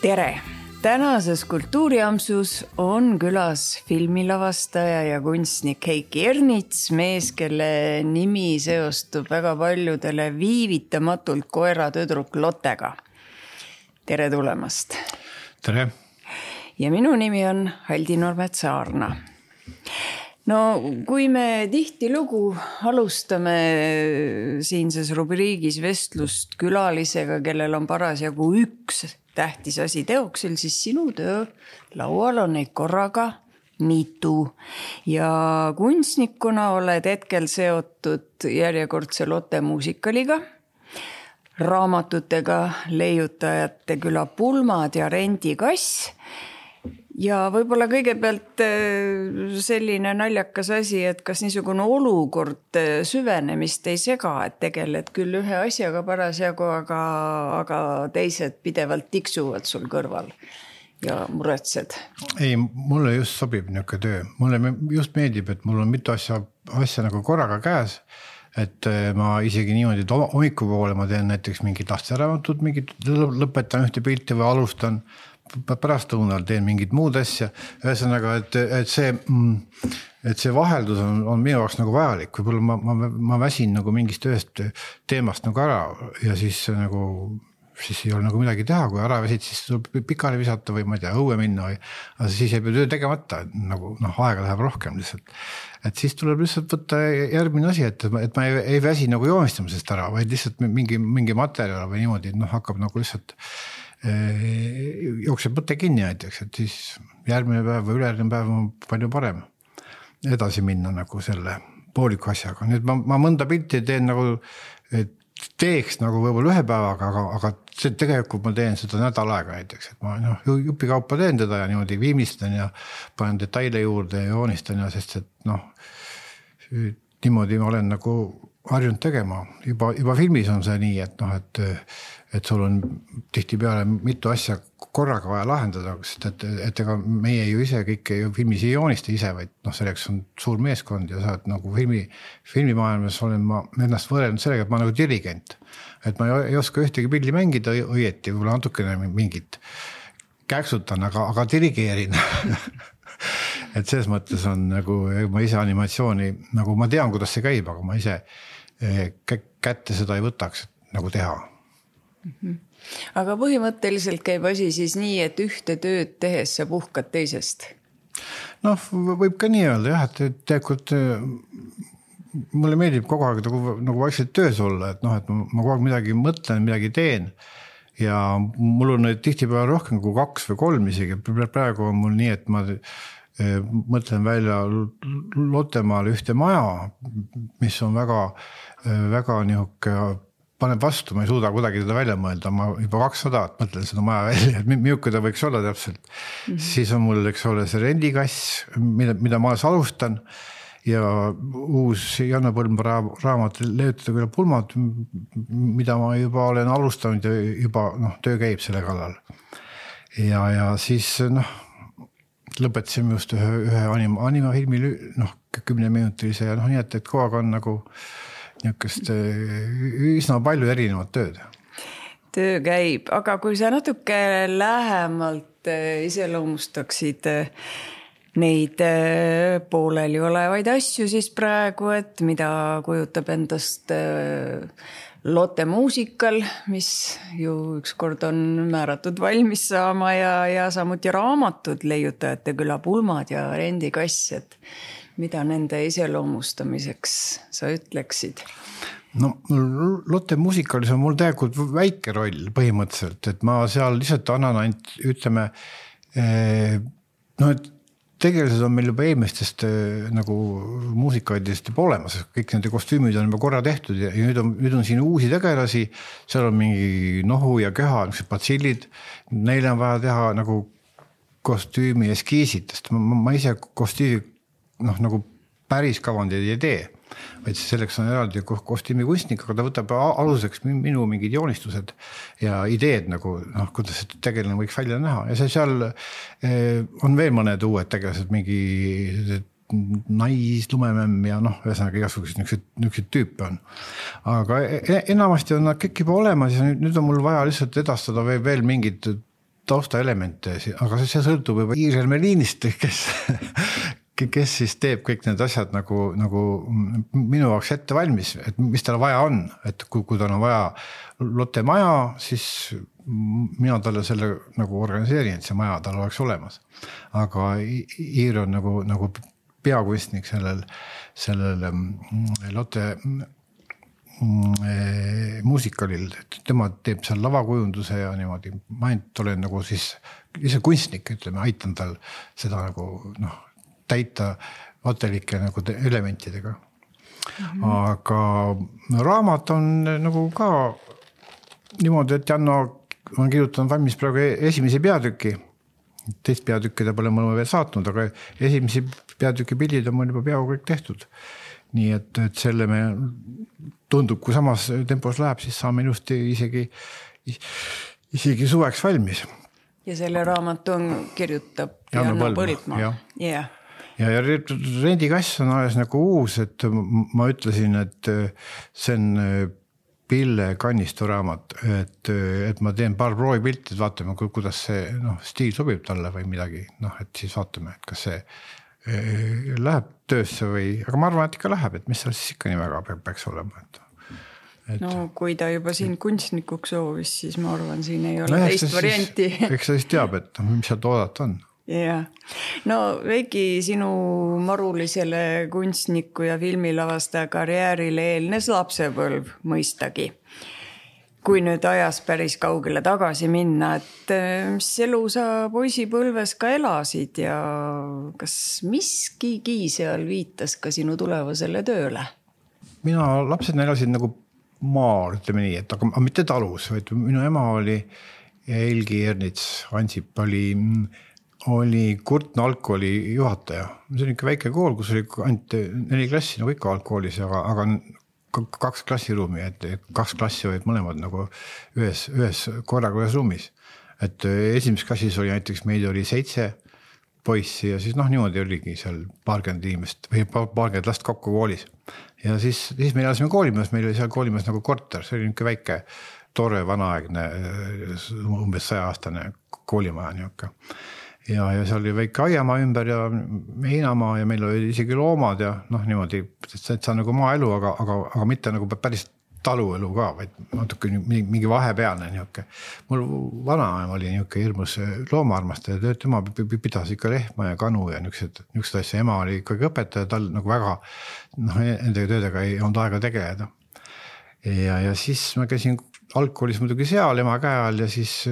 Tere! Tänases Kultuuriampsus on külas filmilavastaja ja kunstnik Heiki Ernits, mees, kelle nimi seostub väga paljudele viivitamatult koeratüdruk Lottega. Tere tulemast! Tere! Ja minu nimi on Haldi Normet-Saarna. No, kui me tihtilugu alustame siinses rubriigis vestlust külalisega, kellel on parasjagu üks tähtis asi teoksil, siis sinu töö laual on neid korraga mitu. Ja kunstnikuna oled hetkel seotud järjekordse Lotte muusikaliga, raamatutega Leiutajate küla pulmad ja Rendikass. Ja võib-olla kõigepealt selline naljakas asi, et kas niisugune olukord süvenemist ei sega, et tegeled küll ühe asjaga parasjagu, aga teised pidevalt tiksuvad sul kõrval ja muretsed. Ei, mulle just sobib niisugune töö. Mulle just meeldib, et mul on mitu asja nagu korraga käes, et ma isegi niimoodi, et hommikupoole ma teen näiteks mingid lasteraamatut, lõpetan ühte pilti või alustan, pärast lõunal teen mingid muud asja. Ühesõnaga, et see vaheldus on minu jaoks nagu vajalik. Võib-olla ma väsin nagu mingist ühest teemast nagu ära ja siis ei ole nagu midagi teha, kui ära väsid, siis tuleb pikali visata või ma ei tea, õue minna või, aga siis ei pea töö tegemata, nagu aega läheb rohkem lihtsalt. Et siis tuleb lihtsalt võtta järgmine asi, et ma ei väsi nagu joonistamisest ära, vaid lihtsalt mingi materjal või niimoodi, hakkab nagu lihtsalt jookseb mõte kinni näiteks, et siis järgmine päev või ülejärgmine päev on palju parem edasi minna nagu selle pooliku asjaga. Nüüd ma mõnda pilti teen nagu, teeks nagu võib-olla ühe päevaga, aga tegelikult ma teen seda nädal aega näiteks, et ma jupi kaupa teen teda ja niimoodi viimistlen ja panen detaile juurde ja joonistan ja sest, et niimoodi ma olen nagu harjunud tegema. Juba filmis on see nii, et sul on tihtipeale mitu asja korraga vaja lahendada, sest et ega meie ju ise kõike ju filmis ei joonista ise, vaid selleks on suur meeskond ja sa oled nagu filmimaailmas olen ma ennast võrelnud sellega, et ma nagu dirigent. Et ma ei oska ühtegi pilli mängida õieti, võib-olla natukene mingit käksutan, aga dirigeerin. Et selles mõttes on nagu, ma ise animatsiooni, nagu ma tean, kuidas see käib, aga ma ise kätte seda ei võtaks nagu teha. Aga põhimõtteliselt käib asi siis nii, et ühte tööd tehes sa puhkad teisest? Võib ka nii öelda, jah, et tegelikult mulle meeldib kogu aeg nagu vaikselt töös olla, et ma kogu aeg midagi mõtlen, midagi teen ja mul on tihtipeale rohkem kui 2 või 3 isegi. Praegu on mul nii, et ma mõtlen välja Lottemaale ühte maja, mis on väga nihuke paneb vastu, ma ei suuda kuidagi teda välja mõelda, ma juba 200 mõtlen seda maja välja, et milline ta võiks olla täpselt. Siis on mul, eks ole, see Rendikass, mida ma alustan ja uus Janne Põlma raamat Leiutajate küla pulmad, mida ma juba olen alustanud ja juba töö käib selle kallal. Ja siis lõpetasime just ühe animafilmi 10-minutilise ja nii, et kogu aeg on nagu niisugust üsna palju erinevat tööd. Töö käib, aga kui sa natuke lähemalt iseloomustaksid neid pooleli olevaid asju siis praegu, et mida kujutab endast Lotte muusikal, mis ju ükskord on määratud valmis saama ja samuti raamatud Leiutajate küla pulmad ja Rendikass, et mida nende iseloomustamiseks sa ütleksid? Lotte muusikalis on mul tegelikult väike roll põhimõtteliselt, et ma seal lihtsalt annan ainult, ütleme, et tegelased on meil juba eelmistest nagu muusikaidest juba olemas, kõik nende kostüümid on juba korra tehtud ja nüüd on siin uusi tegelasi, seal on mingi nohu ja köha, patsillid, neile on vaja teha nagu kostüümi eskiisid, sest ma ise kostüümi nagu päris kavandid ei tee, vaid selleks on eraldi kostüümikunstnik, aga ta võtab aluseks minu mingid joonistused ja ideed nagu, kuidas see tegelane võiks välja näha ja seal on veel mõned uued tegelased, mingi naislumemem ja ühesõnaga igasugused niisugused tüüpe on. Aga enamasti on nad kõik juba olemas ja nüüd on mul vaja lihtsalt edastada veel mingid taustaelemente, aga see sõltub juba Iirel Meliinist, kes siis teeb kõik need asjad nagu minu jaoks ette valmis, et mis tal vaja on, et kui tal on vaja Lotte maja, siis mina talle selle nagu organiseerin, et see maja tal oleks olemas. Aga Iir on nagu peakunstnik sellel Lotte muusikalil, tema teeb seal lavakujunduse ja niimoodi, ma ainult olen nagu siis ise kunstnik, ütleme, aitan tal seda nagu täita atelike nagu elementidega. Aga raamat on nagu ka niimoodi, et Janno on kirjutanud valmis praegu esimese peatüki, teist peatükki ta pole mulle veel saatnud, aga esimese peatüki pildid on mul juba peaaegu kõik tehtud. Nii et selle me tundub, kui samas tempos läheb, siis saame ilusti isegi suveks valmis. Ja selle raamatu kirjutab Janno Põldmaa. Ja rendikass on alles nagu uus, et ma ütlesin, et see on Pille Kannistu raamat, et ma teen paar proovipilti, et vaatame, kuidas see stiil sobib talle või midagi, et siis vaatame, et kas see läheb töösse või, aga ma arvan, et ikka läheb, et mis seal siis ikka nii väga peaks olema. No kui ta juba siin kunstnikuks soovis, siis ma arvan, siin ei ole teist varianti. Eks sa siis teab, et mis sealt oodata on. Ja. No Veiki, sinu marulisele kunstniku ja filmilavastaja karjäärile eelnes lapsepõlv mõistagi. Kui nüüd ajas päris kaugele tagasi minna, et mis elu sa poisipõlves ka elasid ja kas miskigi seal viitas ka sinu tulevasele tööle? Mina lapsed elasid nagu maal, ütleme nii, et aga mitte talus, vaid minu ema oli Helgi Ernits Ansip oli Kurtna algkooli juhataja. See on ikka väike kool, kus oli ainult 4 klassi, nagu ikka algkoolis, aga 2 klassiruumi, et 2 klassi olid mõlemad nagu ühes korraga ühes ruumis. Et esimeses klassis oli näiteks meid oli 7 poissi ja siis niimoodi oligi seal paarkümmend inimest või paarkümmend last kokku koolis. Ja siis me elasime koolimajas, meil oli seal koolimajas nagu korter, see oli niisugune väike, tore, vanaaegne, umbes 100-aastane koolimaja niisugune. Ja seal oli väike aiamaa ümber ja heinamaa ja meil oli isegi loomad ja niimoodi, et see on nagu maaelu, aga mitte nagu päris taluelu ka, vaid natuke mingi vahepealne niisugune. Mul vanaema oli niisugune hirmus loomaarmastaja, tema pidas ikka lehma ja kanu ja niisugused asja. Ema oli ikkagi õpetaja, tal nagu väga nende töödega ei olnud aega tegeleda. Ja siis ma käisin algkoolis muidugi seal ema käe all ja siis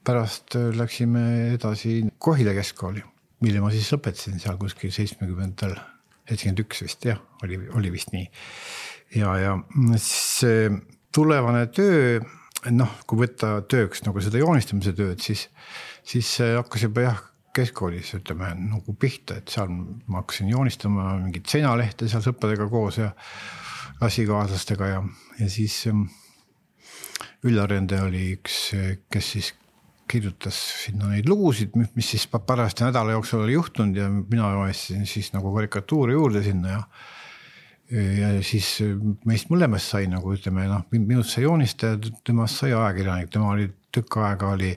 pärast läksime edasi Kohila keskkooli, mille ma siis lõpetasin seal kuskil 70-ndal, 71 vist, jah, oli vist nii. Ja siis tulevane töö, kui võtta tööks nagu seda joonistamise tööd, siis hakkas juba keskkoolis, ütleme, nagu pihta, et seal ma hakkasin joonistama mingit seinalehte seal sõpradega koos ja klassikaaslastega ja siis Üllar-Rende oli üks, kes siis kirjutas sinna neid lugusid, mis siis pärast nädala jooksul oli juhtunud ja mina joonistasin siis nagu karikatuuri juurde sinna ja siis meist mõlemast sai nagu ütleme, minust sai joonistaja, temast sai ajakirjanik, tema oli tükk aega oli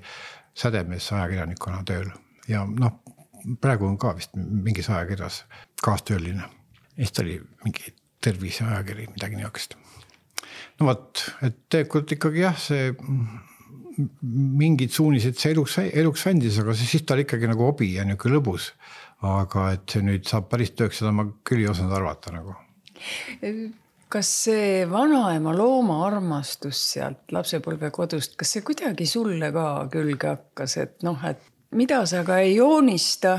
Sädemees ajakirjanikuna tööl ja praegu on ka vist mingis ajakirjas kaastööline. Eest oli mingi tervise ajakiri, midagi niisugust. Et tegelikult ikkagi see mingid suunised see eluks andis, aga siis ta oli ikkagi nagu hobi ja niisugune lõbus. Aga et see nüüd saab päris tööks, seda ma küll ei osanud arvata nagu. Kas see vanaema looma armastus sealt lapsepõlve kodust, kas see kuidagi sulle ka külge hakkas, et mida sa ka ei joonista,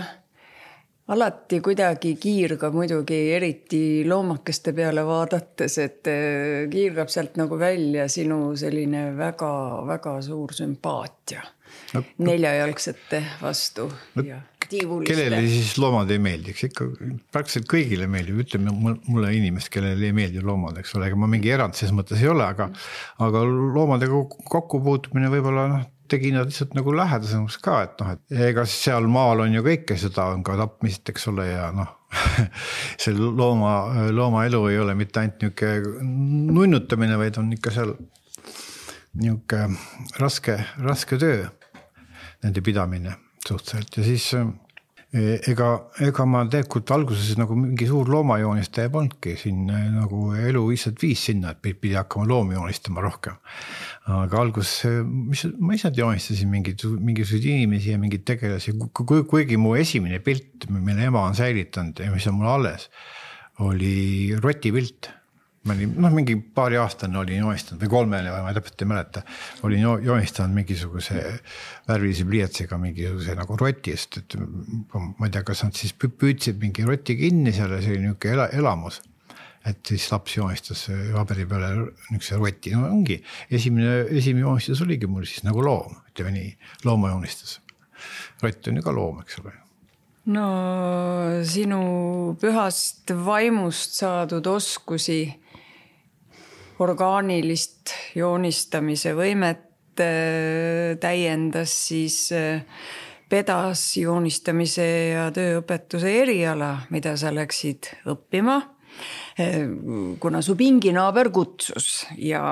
alati kuidagi kiirgab muidugi eriti loomakeste peale vaadates, et kiirgab sealt nagu välja sinu selline väga, väga suur sümpaatia neljajalgsete vastu ja tiivuliste. Kellele siis loomad ei meeldiks? Ikka praktiliselt kõigile meeldib, ütleme mulle inimest, kellele ei meeldi loomad, eks ole, ega ma mingi erand ses mõttes ei ole, aga loomadega kokkupuutumine võib-olla tegi nad lihtsalt nagu lähedasemaks ka, et ega seal maal on ju kõike, seda on ka tapmist, eks ole, ja see looma elu ei ole mitte ainult niisugune nunnutamine, vaid on ikka seal niisugune raske töö. nende pidamine suhteliselt ja siis ega ma tegelikult alguses nagu mingi suur loomajoonistaja polnudki siin nagu elu lihtsalt viis sinna, et pidi hakkama loomi joonistama rohkem. Aga alguses ma ise joonistasin mingisuguseid inimesi ja mingeid tegelasi, kuigi mu esimene pilt, mille ema on säilitanud ja mis on mul alles, oli rotipilt. Ma olin, mingi paari aastane olin joonistanud või 3 või ma täpselt ei mäleta, olin joonistanud mingisuguse värvilise pliiatsiga mingisuguse nagu rotist, et ma ei tea, kas nad siis püüdsid mingi roti kinni seal ja see oli niisugune elamus, et siis laps joonistas paberi peale niisuguse roti, no ongi, esimene joonistus oligi mul siis nagu loom, ütleme nii, looma joonistus. Rott on ju ka loom, eks ole. No sinu pühast vaimust saadud oskusi orgaanilist joonistamise võimet täiendas siis pedas joonistamise ja tööõpetuse eriala, mida sa läksid õppima, kuna su pinginaaber kutsus ja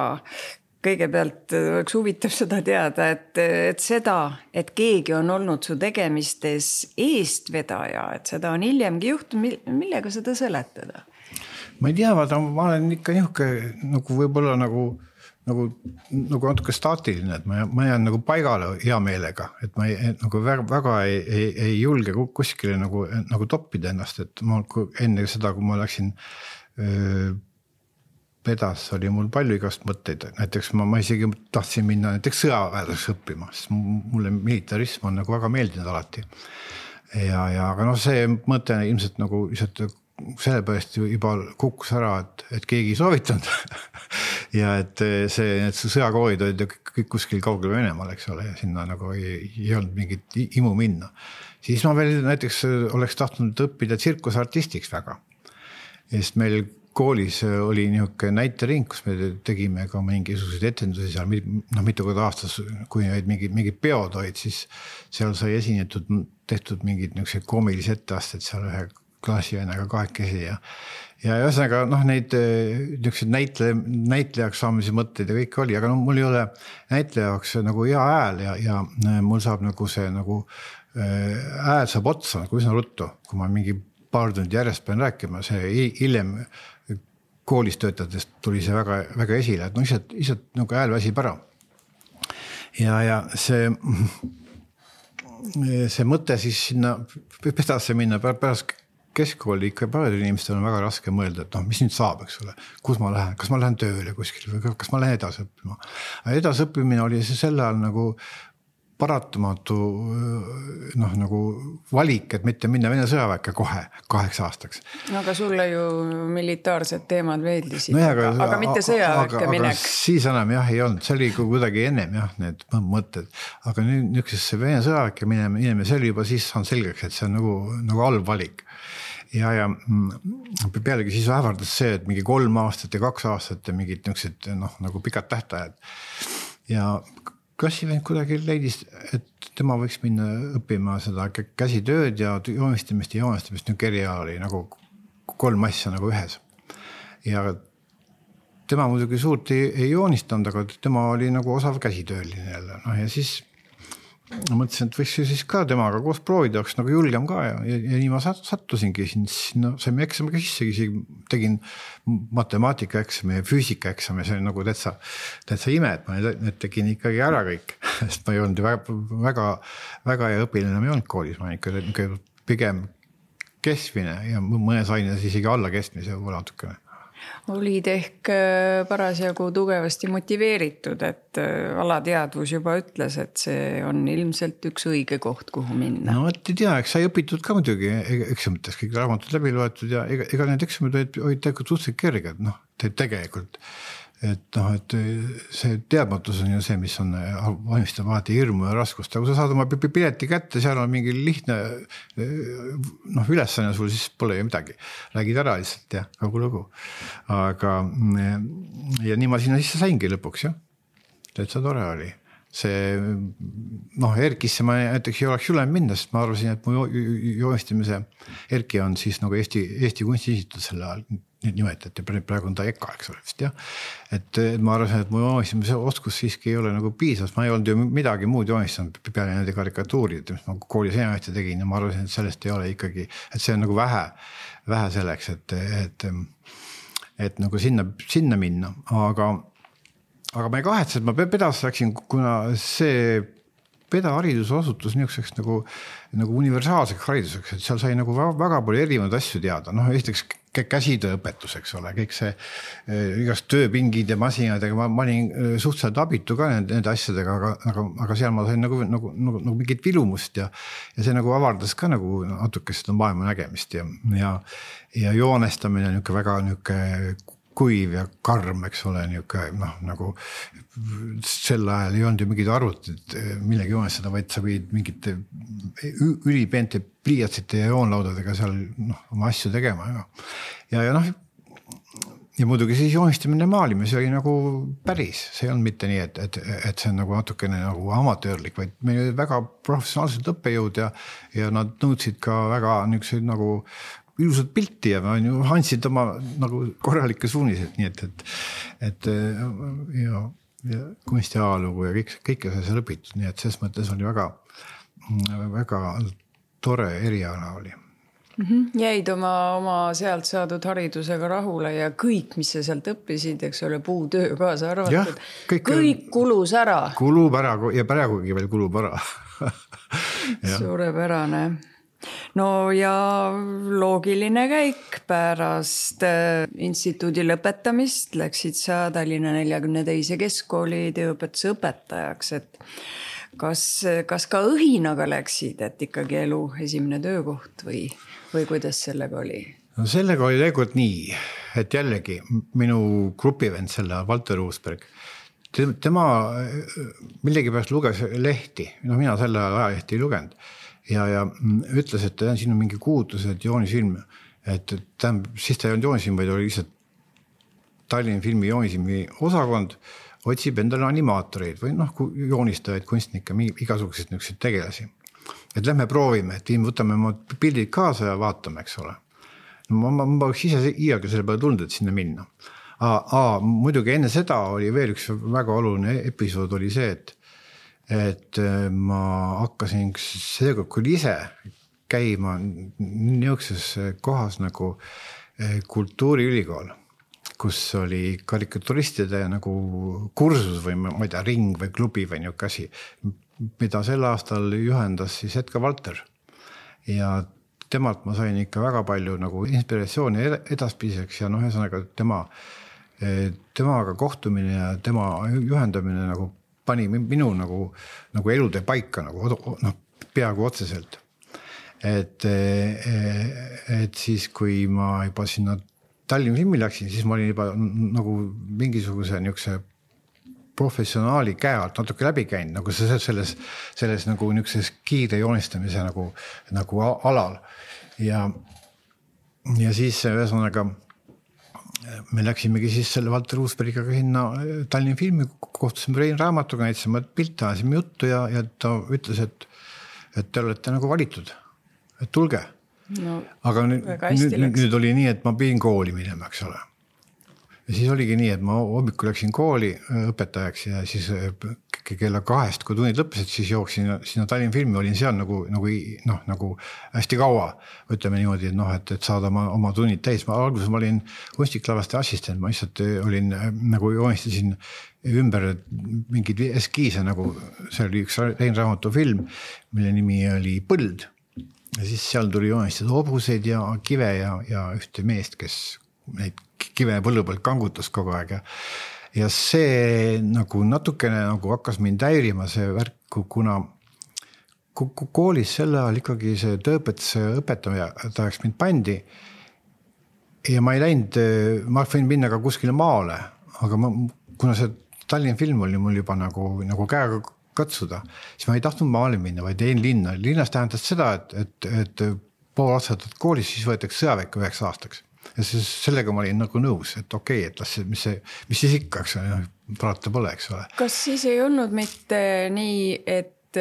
kõigepealt oleks huvitav seda teada, et seda, et keegi on olnud su tegemistes eestvedaja, et seda on hiljemgi juhtunud, millega seda seletada? Ma ei tea, ma olen ikka nihuke nagu võib-olla nagu natuke staatiline, et ma jään nagu paigale hea meelega, et ma nagu väga ei julge kuskile nagu toppida ennast, et ma enne seda, kui ma läksin pedas, oli mul palju igast mõtteid, näiteks ma isegi tahtsin minna näiteks sõjaväelaseks õppima, sest mulle militarism on nagu väga meeldinud alati aga see mõte ilmselt nagu sellepärast juba kukkus ära, et keegi ei soovitanud ja et sõjakoolid olid kõik kuskil kaugel Venemaal, eks ole, ja sinna nagu ei olnud mingit imu minna. Siis ma veel näiteks oleks tahtnud õppida tsirkusartistiks väga. Sest meil koolis oli niisugune näitering, kus me tegime ka mingisuguseid etendusi seal, mitu korda aastas, kui mingid peod olid, siis seal sai tehtud mingid koomilisi etteasted seal ühe klassivennaga 2 ja ühesõnaga neid näitlejaks saamise mõtteid ja kõik oli, aga mul ei ole näitlejaks nagu hea hääl ja mul saab nagu see hääl saab otsa nagu üsna ruttu, kui ma mingi paar tundi järjest pean rääkima, see hiljem koolis töötades tuli see väga, väga esile, et lihtsalt nagu hääl väsib ära ja see mõte siis sinna pedasse minna pärast keskkooli ikka paljudel inimestel on väga raske mõelda, et mis nüüd saab, eks ole, kus ma lähen, kas ma lähen tööle kuskil või kas ma lähen edasi õppima. Edasõppimine oli see sel ajal nagu paratamatu nagu valik, et mitte minna Vene sõjaväkke kohe 8 aastaks. No aga sulle ju militaarsed teemad veeldisid, aga mitte sõjaväkke minek. Aga siis enam ei olnud, see oli kuidagi ennem need mõtted. Aga nüüd niisugusesse Vene sõjaväkke minema, see oli juba siis on selgeks, et see on nagu halb valik. Ja pealegi siis ähvardas see, et mingi 3 aastat ja 2 aastat ja mingid niisugused nagu pikad tähtajad. Ja klassivend kuidagi leidis, et tema võiks minna õppima seda käsitööd ja joonistamist nüüd eriala oli nagu 3 asja nagu ühes. Ja tema muidugi suurt ei joonistanud, aga tema oli nagu osav käsitööline jälle. Ja siis mõtlesin, et võiks siis ka temaga koos proovida, oleks nagu julgem ka ja nii ma sattusingi sinna, saime eksamiga sisse, tegin matemaatika eksami ja füüsika eksami, see oli nagu täitsa ime, et ma need tegin ikkagi ära kõik, sest ma ei olnud väga hea õpilane, ma ei olnud koolis, ma ikka pigem keskmine ja mõnes aines isegi alla keskmise võib-olla natukene. Olid ehk parasjagu tugevasti motiveeritud, et alateadvus juba ütles, et see on ilmselt üks õige koht, kuhu minna. No, et ei tea, eks sai õpitud ka muidugi eksamites, kõik raamatud läbi loetud ja ega need eksamid olid tegelikult suhteliselt kerged, tegelikult. Et see teadmatus on ju see, mis on valmistab alati hirmu ja raskust. Aga kui sa saad oma pileti kätte, seal on mingi lihtne ülesanne sul, siis pole ju midagi. Räägid ära lihtsalt ja kogu lugu. Aga ja nii ma sinna sisse saingi lõpuks, jah. Täitsa tore oli. See, Erkisse ma näiteks ei oleks julem minna, sest ma arvasin, et mu joonistamise Erki on siis nagu Eesti Kunstiinstituut selle ajal. nimetati, praegu on ta EKA, eks ole vist jah. Et ma arvasin, et mu joonistamise oskus siiski ei ole nagu piisavas, ma ei olnud ju midagi muud joonistanud peale nende karikatuurid, mis ma koolis enamasti tegin ja ma arvasin, et sellest ei ole ikkagi, et see on nagu vähe selleks, et nagu sinna minna, aga ma ei kahetse, et ma pedas läksin, kuna see pedahariduse osutus niisuguseks nagu universaalseks hariduseks, et seal sai nagu väga palju erinevaid asju teada. Noh, esiteks käsitööõpetus, eks ole, kõik see igast tööpingid ja masinad, ma olin suhteliselt abitu ka nende asjadega, aga seal ma sain nagu mingit vilumust ja see nagu avardas ka nagu natuke seda maailma nägemist ja joonestamine on väga kuiv ja karm, eks ole, nagu sel ajal ei olnud ju mingid arvutid millegi joonestada, vaid sa võid mingite ülipeente pliiatsite ja joonlaudadega seal oma asju tegema. Ja muidugi siis joonistamine maalimine, see oli nagu päris, see ei olnud mitte nii, et see on nagu natukene nagu amatöörlik, vaid meil oli väga professionaalsed õppejõud ja nad nõudsid ka väga niisuguseid nagu ilusat pilti ja andsid oma nagu korralikke suunised, nii et ja kunstiajalugu ja kõike see õpitud, nii et selles mõttes oli väga tore eriala oli. Jäid oma sealt saadud haridusega rahule ja kõik, mis sa sealt õppisid, eks ole, puutöö kaasa arvatud, kõik kulus ära. Kulub ära ja praegugi veel kulub ära. Suurepärane. No ja loogiline käik pärast instituudi lõpetamist läksid sa Tallinna 42. keskkooli tööõpetuse õpetajaks, et kas ka õhinaga läksid, et ikkagi elu esimene töökoht või kuidas sellega oli? No sellega oli tegelikult nii, et jällegi minu grupivend selle Valter Uusberg, tema millegipärast luges lehti, mina selle ajalehti ei lugenud ja ütles, et siin on mingi kuulutus, et joonisfilm, et siis ta ei olnud joonisfilm, vaid oli lihtsalt Tallinna filmi joonisfilmi osakond otsib endale animaatoreid või joonistajaid, kunstnikke, igasuguseid niisuguseid tegelasi. Et lähme proovime, et võtame oma pildid kaasa ja vaatame, eks ole. Ma oleks ise iialgi selle peale tulnud, et sinna minna. Muidugi enne seda oli veel üks väga oluline episood oli see, et ma hakkasin seega küll ise käima niisuguses kohas nagu kultuuriülikool, kus oli karikaturistide nagu kursus või ma ei tea, ring või klubi või niisugune asi, mida sel aastal juhendas siis Edgar Valter. Ja temalt ma sain ikka väga palju nagu inspiratsiooni edaspidiseks ja ühesõnaga temaga kohtumine ja tema juhendamine nagu pani minu nagu elude paika peaaegu otseselt. Et siis, kui ma juba sinna Tallinna filmi läksin, siis ma olin juba nagu mingisuguse niisuguse professionaali käe alt natuke läbi käinud, nagu selles nagu niisuguses kiire joonistamise nagu alal. Ja siis ühesõnaga me läksimegi siis selle Valter Uusbergiga sinna Tallinna filmi, kohtusime Rein Raamatuga, näitasime pilte, ajasime juttu ja ta ütles, et te olete nagu valitud, et tulge. No, aga nüüd oli nii, et ma pidin kooli minema, eks ole. Ja siis oligi nii, et ma hommikul läksin kooli õpetajaks ja siis kella 2, kui tunnid lõppesid, siis jooksin sinna Tallinna filmi, olin seal nagu hästi kaua, ütleme niimoodi, et saada oma tunnid täis. Alguses ma olin kunstiklavaste assistent, ma lihtsalt olin nagu joonistasin ümber mingid eskiise, nagu see oli üks Rein Raamatu film, mille nimi oli Põld. Ja siis seal tuli joonistada hobuseid ja kive ja ühte meest, kes neid kive põllu pealt kangutas kogu aeg. Ja see nagu natukene nagu hakkas mind häirima see värk, kuna koolis selle ajal ikkagi see tööõpetuse õpetajaks mind pandi ja ma ei läinud, ma võin minna ka kuskile maale, aga kuna see Tallinna film oli mul juba nagu käega katsuda, siis ma ei tahtnud maale minna, vaid jäin linna. Linnas tähendas seda, et pool aastat koolis siis võetakse sõjaväkke 9 aastaks. Ja sellega ma olin nagu nõus, et okei, et mis siis ikka, eks parata pole, eks ole. Kas siis ei olnud mitte nii, et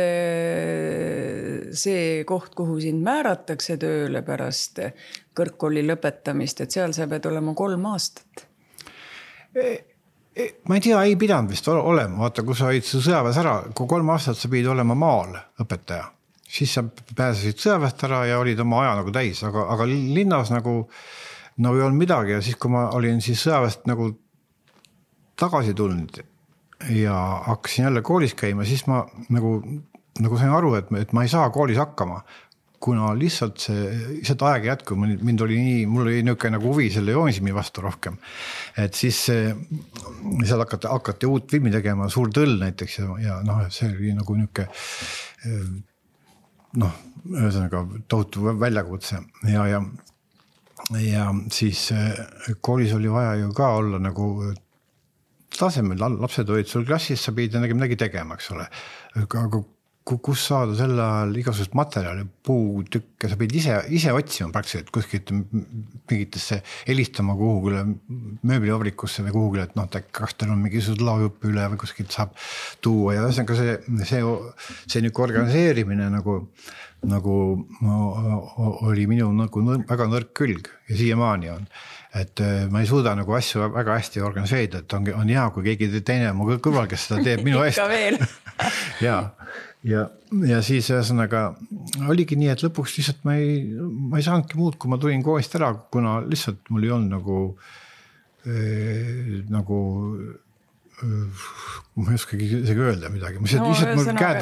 see koht, kuhu sind määratakse tööle pärast kõrgkooli lõpetamist, et seal sa pead olema 3 aastat? Ma ei tea, ei pidanud vist olema. Vaata, kui sa olid sõjaväes ära, kui 3 aastat sa pidid olema maal õpetaja, siis sa pääsesid sõjaväest ära ja olid oma aja nagu täis, aga linnas nagu ei olnud midagi ja siis, kui ma olin siis sõjaväest nagu tagasi tulnud ja hakkasin jälle koolis käima, siis ma nagu sain aru, et ma ei saa koolis hakkama, kuna lihtsalt seda aega jätku, mul oli niisugune nagu huvi selle joonisimi vastu rohkem. Et siis seal hakati uut filmi tegema, Suur tõll näiteks ja see oli nagu niisugune ühesõnaga tohutu väljakutse ja siis koolis oli vaja ju ka olla nagu tasemel, lapsed olid sul klassis, sa pidid midagi tegema, eks ole. Aga kus saada selle ajal igasugust materjali, puutükke, sa pidid ise otsima praktiliselt kuskilt mingitesse helistama kuhugile mööblivabrikusse või kuhugile, et kas teil on mingisugused laagõppe üle või kuskilt saab tuua ja ühesõnaga see nüüd organiseerimine nagu oli minu nagu väga nõrk külg ja siiamaani on. Et ma ei suuda nagu asju väga hästi organiseerida, et on hea, kui keegi teine mu kõrval, kes seda teeb minu eest. Ikka veel. ja siis ühesõnaga oligi nii, et lõpuks lihtsalt ma ei saanudki muud, kui ma tulin koolist ära, kuna lihtsalt mul ei olnud ma ei oskagi isegi öelda midagi. Lihtsalt mul käed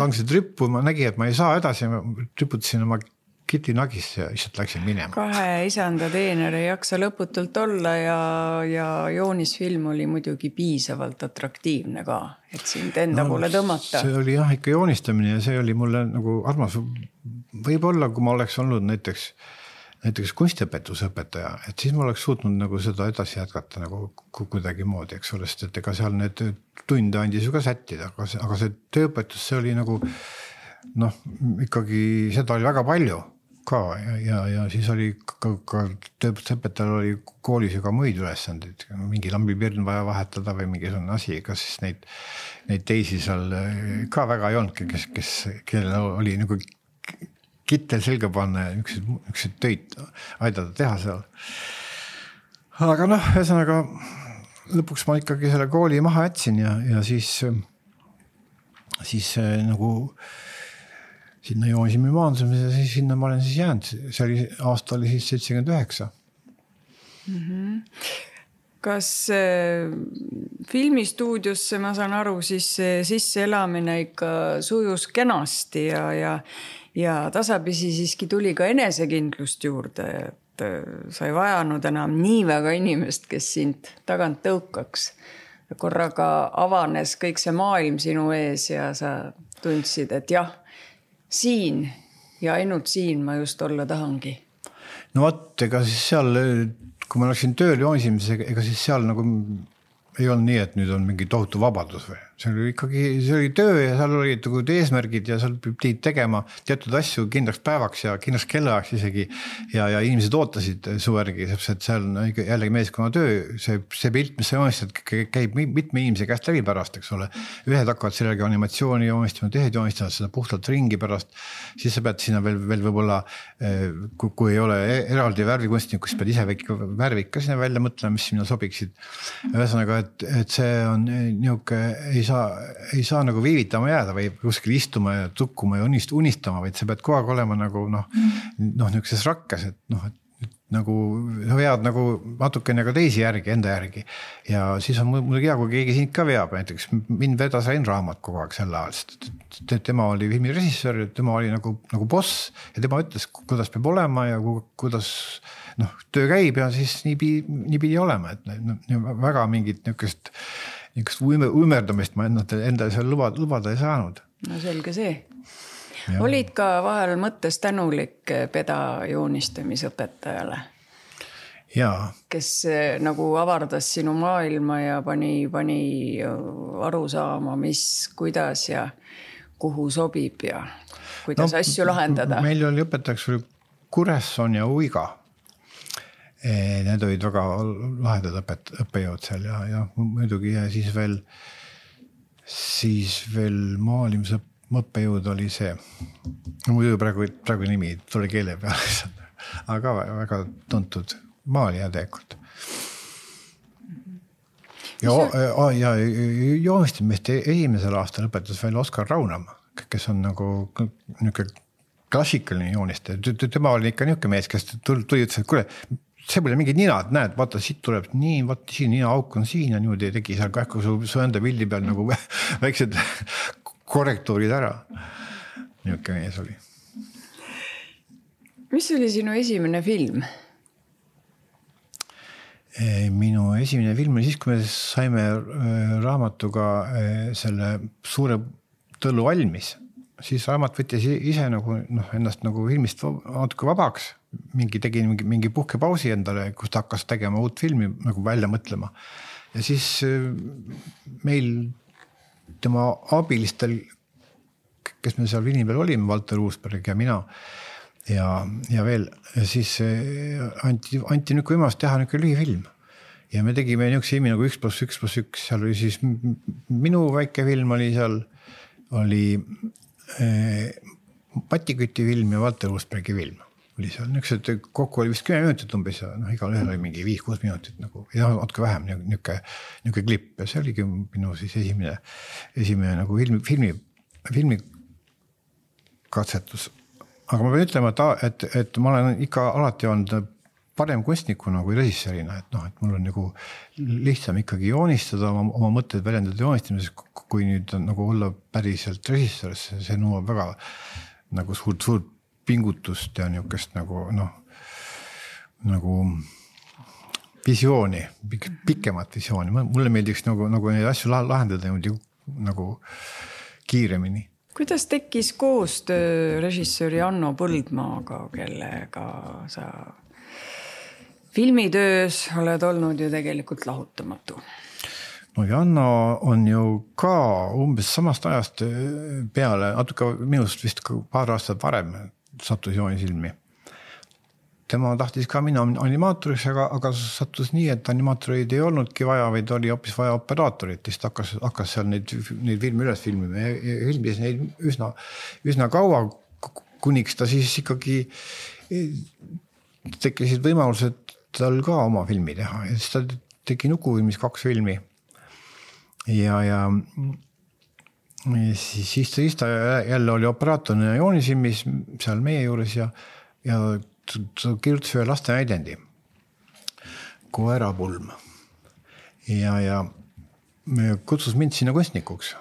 langsid rippu, ma nägin, et ma ei saa edasi, ma riputasin oma kitinagis ja lihtsalt läksin minema. 2 isanda teener ei jaksa lõputult olla ja joonisfilm oli muidugi piisavalt atraktiivne ka, et sind enda poole tõmmata. See oli jah ikka joonistamine ja see oli mulle nagu armas. Võib-olla, kui ma oleks olnud näiteks kunstiõpetusõpetaja, et siis ma oleks suutnud nagu seda edasi jätkata nagu kuidagi moodi, eks ole, sest et ega seal need tunde andis ju ka sättida, aga see tööõpetus, see oli nagu ikkagi seda oli väga palju ka ja siis oli ka tööõpetajal oli koolis ju ka muid ülesandeid, mingi lambipirn vaja vahetada või mingisugune asi, kas siis neid teisi seal ka väga ei olnud, kellel oli nagu kittel selga panna ja üks töid aidata teha seal. Aga ühesõnaga lõpuks ma ikkagi selle kooli maha jätsin ja siis nagu sinna joonisimi maandumise ja siis sinna ma olen siis jäänud. See aasta oli siis 79. Kas filmistuudiosse, ma saan aru, siis sisse elamine ikka sujus kenasti ja tasapisi siiski tuli ka enesekindlust juurde, et sa ei vajanud enam nii väga inimest, kes sind tagant tõukaks. Korraga avanes kõik see maailm sinu ees ja sa tundsid, et jah, siin ja ainult siin ma just olla tahangi. No vaat, ega siis seal, kui ma läksin tööl joonisimisega, ega siis seal nagu ei olnud nii, et nüüd on mingi tohutu vabadus või. See oli töö ja seal olid eesmärgid ja seal pidid tegema teatud asju kindlaks päevaks ja kindlaks kellaajaks isegi ja inimesed ootasid su järgi, sest seal on jällegi meeskonna töö, see pilt, mis sa joonistad, käib mitme inimese käest läbi pärast, eks ole. Ühed hakkavad sellega animatsiooni joonistama, tehed joonistavad seda puhtalt ringi pärast, siis sa pead sinna veel võib-olla, kui ei ole eraldi värvikunstnik, kus pead ise värvid ka sinna välja mõtlema, mis sinna sobiksid. Ühesõnaga, et see on niisugune, ei saa nagu viivitama jääda või kuskil istuma ja tukkuma ja unistama, vaid sa pead kogu aeg olema nagu niisuguses rakkes, et nagu sa vead nagu natukene ka teisi järgi, enda järgi. Ja siis on muidugi hea, kui keegi sind ka veab, näiteks mind vedas Rain Raamat kogu aeg selle ajal, sest tema oli filmirežissöör, tema oli nagu boss ja tema ütles, kuidas peab olema ja kuidas töö käib ja siis nii pidi olema, et väga mingit niisugust umerdamist ma enda seal lubada ei saanud. No selge see. Ja. Olid ka vahel mõttes tänulik peda joonistamisõpetajale? Jaa. Kes nagu avardas sinu maailma ja pani aru saama, mis, kuidas ja kuhu sobib ja kuidas asju lahendada? Meil oli õpetajaks Kuresson ja Uiga. Need olid väga lahedad õppejõud seal ja muidugi ja siis veel maalimisõpp õppejõud oli see, muidu praegu nimi tuli keele peale, aga väga tuntud maalija tegelikult. Ja joonistamist esimesel aastal lõpetas veel Oskar Raunam, kes on nagu niisugune klassikaline joonistaja. Tema oli ikka niisugune mees, kes tuli ütles, et kuule, see pole mingid ninad, näed, vaata, siit tuleb nii, vaata siin nina auk on siin ja niimoodi tegi seal kähku su enda pildi peal nagu väiksed korrektuurid ära. Niisugune mees oli. Mis oli sinu esimene film? Minu esimene film oli siis, kui me saime raamatuga selle suure tõllu valmis. Siis raamat võttis ise nagu, ennast nagu filmist natuke vabaks. Tegi mingi puhkepausi endale, kus ta hakkas tegema uut filmi nagu välja mõtlema. Ja siis meil tema abilistel, kes me seal filmi peal olime, Valter Uusberg ja mina ja veel, ja siis anti nüüd võimalus teha niisugune lühifilm. Ja me tegime niisuguse filmi nagu 1+1+1, seal oli siis minu väike film oli seal, oli Patiküti film ja Valter Uusbergi film. Oli seal niisugused, kokku oli vist 10 minutit umbes ja igal ühel oli mingi 5-6 minutit nagu, ja natuke vähem niisugune klipp ja see oligi minu siis esimene nagu filmi katsetus. Aga ma pean ütlema, et ma olen ikka alati olnud parem kunstnikuna kui režissöörina, et mul on nagu lihtsam ikkagi joonistada, oma mõtteid väljendada joonistamises, kui nüüd nagu olla päriselt režissöör, see nõuab väga nagu suurt pingutust ja niisugust nagu visiooni, pikemat visiooni. Mulle meeldiks nagu neid asju lahendada nagu kiiremini. Kuidas tekkis koostöö režissööri Anno Põldmaaga, kellega sa filmitöös oled olnud ju tegelikult lahutamatu? No Janno on ju ka umbes samast ajast peale, natuke minust vist paar aastat varem sattus joonisilmi. Tema tahtis ka minna animaatoriks, aga sattus nii, et animaatoreid ei olnudki vaja, vaid oli hoopis vaja operaatorit, siis hakkas seal neid filmi üles filmima ja filmis neid üsna kaua, kuniks ta siis ikkagi tekkisid võimalused tal ka oma filmi teha ja siis ta tegi Nukufilmis 2 filmi ja siis ta jälle oli operaatorina joonisilmis seal meie juures ja ta kirjutas ühe laste näidendi Koerapulm ja me kutsus mind sinna kunstnikuks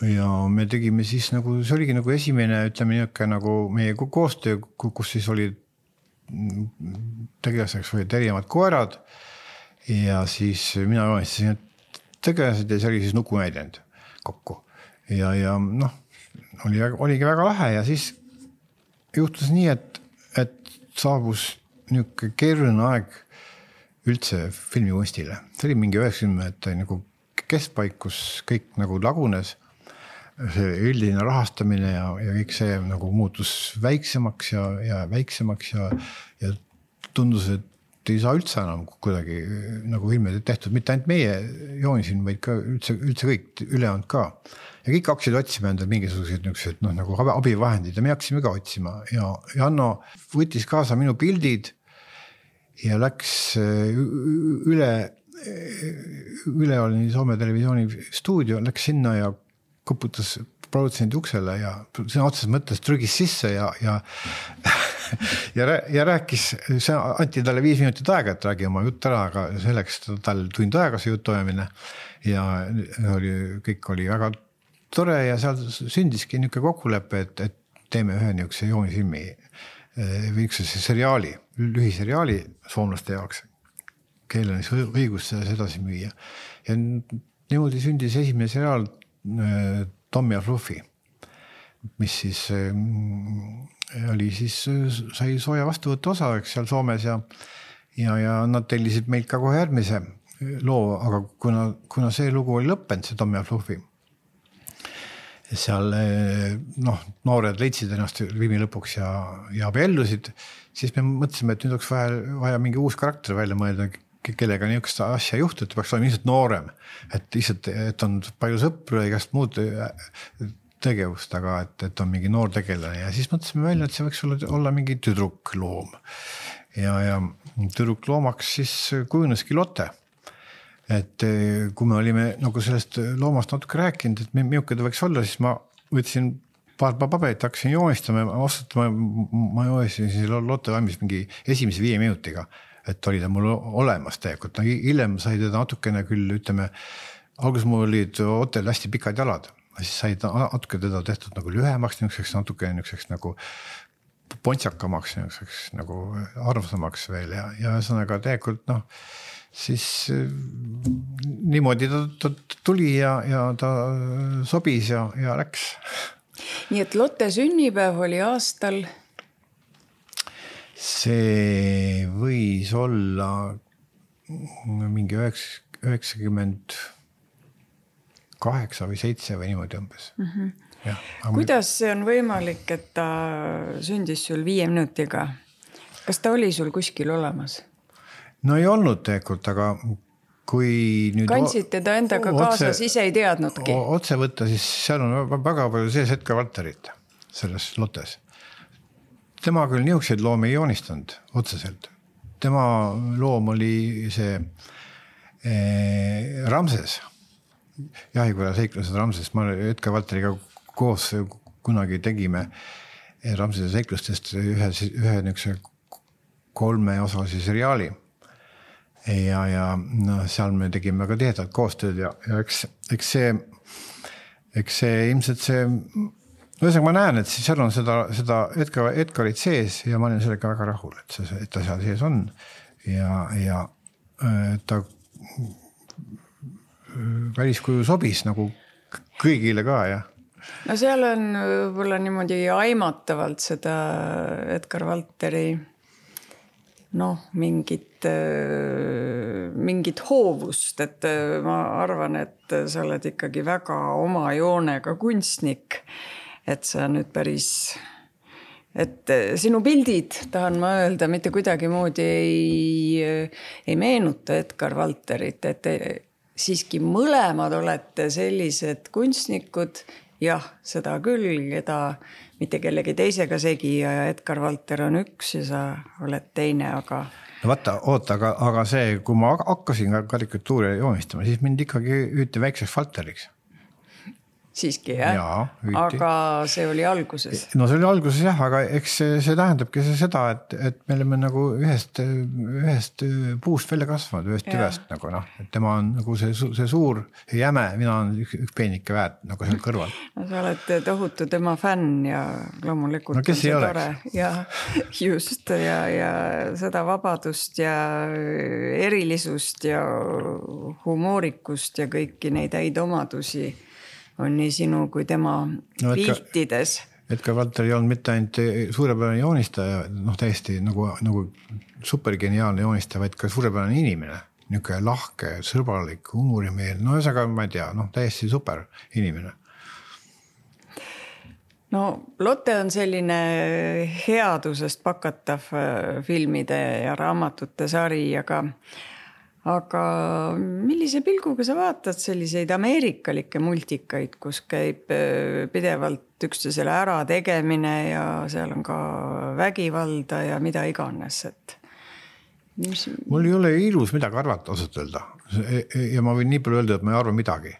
ja me tegime siis nagu, see oligi nagu esimene, ütleme niisugune nagu meie koostöö, kus siis oli tegelaseks olid erinevad koerad ja siis mina joonistasin tegelased ja see oli siis nukunäidend kokku ja oligi väga lahe ja siis juhtus nii, et saabus niisugune keeruline aeg üldse filmikunstile. See oli mingi 90 nagu keskpaik, kus kõik nagu lagunes, see üldine rahastamine ja kõik see nagu muutus väiksemaks ja väiksemaks ja tundus, et ei saa üldse enam kuidagi nagu filmid tehtud, mitte ainult meie joonisin, vaid ka üldse kõik ülejäänud ka. Ja kõik hakkasid otsima endale mingisugused nagu abivahendid ja me hakkasime ka otsima ja Anno võttis kaasa minu pildid ja läks üle oli Soome televisiooni stuudio, läks sinna ja koputas produtsendi uksele ja sõna otseses mõttes trügis sisse ja rääkis, see anti talle 5 minutit aega, et räägi oma jutt ära, aga selleks tal tund aega see jutt toimine ja kõik oli väga tore ja seal sündiski niisugune kokkulepe, et teeme ühe niisuguse joonifilmi või üks seriaali, lühiseriaali soomlaste jaoks, kellel on õigus sedasi müüa. Ja niimoodi sündis esimene seriaal Tom ja Fluffy, mis siis oli siis, sai sooja vastuvõtte osaveks seal Soomes ja nad tellisid meilt ka kohe järgmise loo, aga kuna see lugu oli lõppenud, see Tom ja Fluffy, seal noored leidsid ennast filmi lõpuks ja abiellusid, siis me mõtlesime, et nüüd oleks vaja mingi uus karakter välja mõelda, kellega niisugust asja juhtu, et peaks olema lihtsalt noorem, et on palju sõpru ja igast muud tegevust, aga et on mingi noor tegelane ja siis mõtlesime välja, et see võiks olla mingi tüdrukloom. Ja tüdrukloomaks siis kujuneski Lotte. Et kui me olime nagu sellest loomast natuke rääkinud, et milline ta võiks olla, siis ma võtsin paar paberit, hakkasin joonistama ja ma joonistasin siis Lotte valmis mingi esimese 5 minutiga, et oli ta mul olemas tegelikult. Hiljem sai teda natukene küll, ütleme, alguses mul olid hotel hästi pikad jalad, siis sai ta natuke teda tehtud nagu lühemaks, niisuguseks nagu pontsakamaks, niisuguseks nagu arvsamaks veel ja ühesõnaga tegelikult siis niimoodi ta tuli ja ta sobis ja läks. Nii et Lotte sünnipäev oli aastal? See võis olla mingi 98 või 7 või niimoodi umbes. Ja, kuidas see on võimalik, et ta sündis sul 5 minutiga? Kas ta oli sul kuskil olemas? No ei olnud tegelikult, aga kui nüüd... Kandsid teda endaga kaasas, ise ei teadnudki? Otse võtta, siis seal on väga palju sees Edgar Valterit selles Lottes. Tema küll niisuguseid loomi ei joonistanud otseselt. Tema loom oli see Ramses. Jahikõla seiklused Ramses. Ma Edgar Valteriga koos kunagi tegime Ramsese seiklustest ühe niisuguse 3-osalise seriaali. Ja seal me tegime väga tihedalt koostööd ja eks see ilmselt see, ühesõnaga ma näen, et seal on seda Edgarit sees ja ma olen sellega väga rahul, et ta seal sees on ja ta väliskuju sobis nagu kõigile ka ja. No seal on võib-olla niimoodi aimatavalt seda Edgar Valteri mingit hoovust, et ma arvan, et sa oled ikkagi väga oma joonega kunstnik, et sa nüüd päris, et sinu pildid, tahan ma öelda, mitte kuidagi moodi ei meenuta Edgar Valterit, et siiski mõlemad olete sellised kunstnikud, jah, seda küll, keda mitte kellegi teisega segi ja Edgar Valter on üks ja sa oled teine, aga... No oota, aga see, kui ma hakkasin karikatuuri joonistama, siis mind ikkagi hüüti väikseks Valteriks. Siiski, jah? Jaa, aga see oli alguses? No see oli alguses jah, aga eks see tähendabki seda, et me oleme nagu ühest puust välja kasvanud, ühest tüvest nagu et tema on nagu see suur jäme, mina on üks peenike väed nagu seal kõrval. No sa oled tohutu tema fänn ja loomulikult no, kes ei oleks? Ja just ja seda vabadust ja erilisust ja humoorikust ja kõiki neid häid omadusi on nii sinu kui tema piltides. Edgar Valter ei olnud mitte ainult suurepärane joonistaja, täiesti nagu supergeniaalne joonistaja, vaid ka suurepärane inimene. Niisugune lahke, sõbralik, humorimeel, ühesõnaga ma ei tea, täiesti super inimene. No Lotte on selline headusest pakatav filmide ja raamatute sari, aga millise pilguga sa vaatad selliseid ameerikalikke multikaid, kus käib pidevalt üksteisele ära tegemine ja seal on ka vägivalda ja mida iganes, et... Mul ei ole ilus midagi arvata ausalt öelda ja ma võin nii palju öelda, et ma ei arva midagi.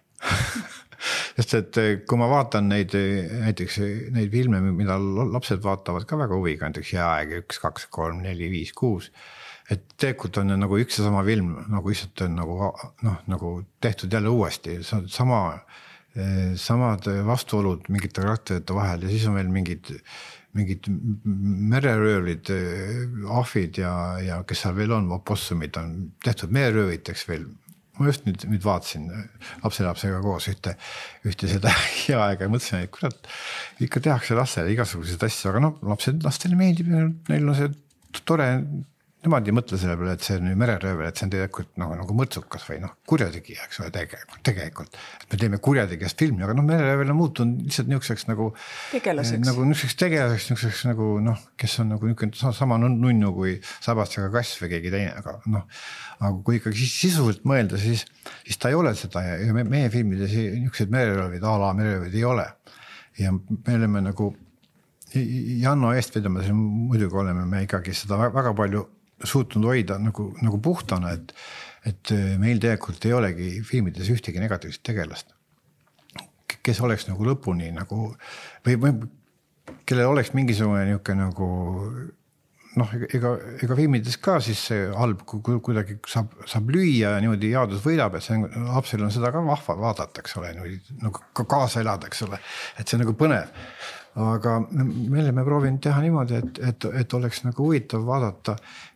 Sest et kui ma vaatan näiteks neid filme, mida lapsed vaatavad ka väga huviga, näiteks Jääaeg 1, 2, 3, 4, 5, 6, et tegelikult on nagu üks ja sama film, nagu lihtsalt on nagu tehtud jälle uuesti, samad vastuolud mingite karakterite vahel ja siis on veel mingid mereröövlid, ahvid ja kes seal veel on, opossumid on tehtud mererööviteks veel. Ma just nüüd vaatasin lapselapsega koos ühte seda Jääaega ja mõtlesin, et kurat, ikka tehakse lastele igasuguseid asju, aga lastele meeldib, neil on see tore, nemad ei mõtle selle peale, et see on mereröövel, et see on tegelikult nagu mõrtsukas või kurjategi, eks ole, tegelikult. Et me teeme kurjategijast filmi, aga mereröövel on muutunud lihtsalt niisuguseks nagu tegelaseks, nagu kes on nagu niisugune sama nunnu kui Sabastega kass või keegi teine, aga kui ikkagi sisuliselt mõelda, siis ta ei ole seda ja meie filmides niisugused mereröövid, mereröövid ei ole. ja me oleme nagu Janno eestvedamas, muidugi oleme me ikkagi seda väga palju suutnud hoida nagu puhtana, et meil tegelikult ei olegi filmides ühtegi negatiivset tegelast, kes oleks nagu lõpuni nagu või kellel oleks mingisugune niisugune nagu noh, ega filmides ka siis see halb kuidagi saab lüüa ja niimoodi jaadus võidab, et see lapsel on seda ka vahva vaadata, eks ole, nagu kaasa elada, eks ole, et see on nagu põnev. Aga me oleme proovinud teha niimoodi, et oleks nagu huvitav vaadata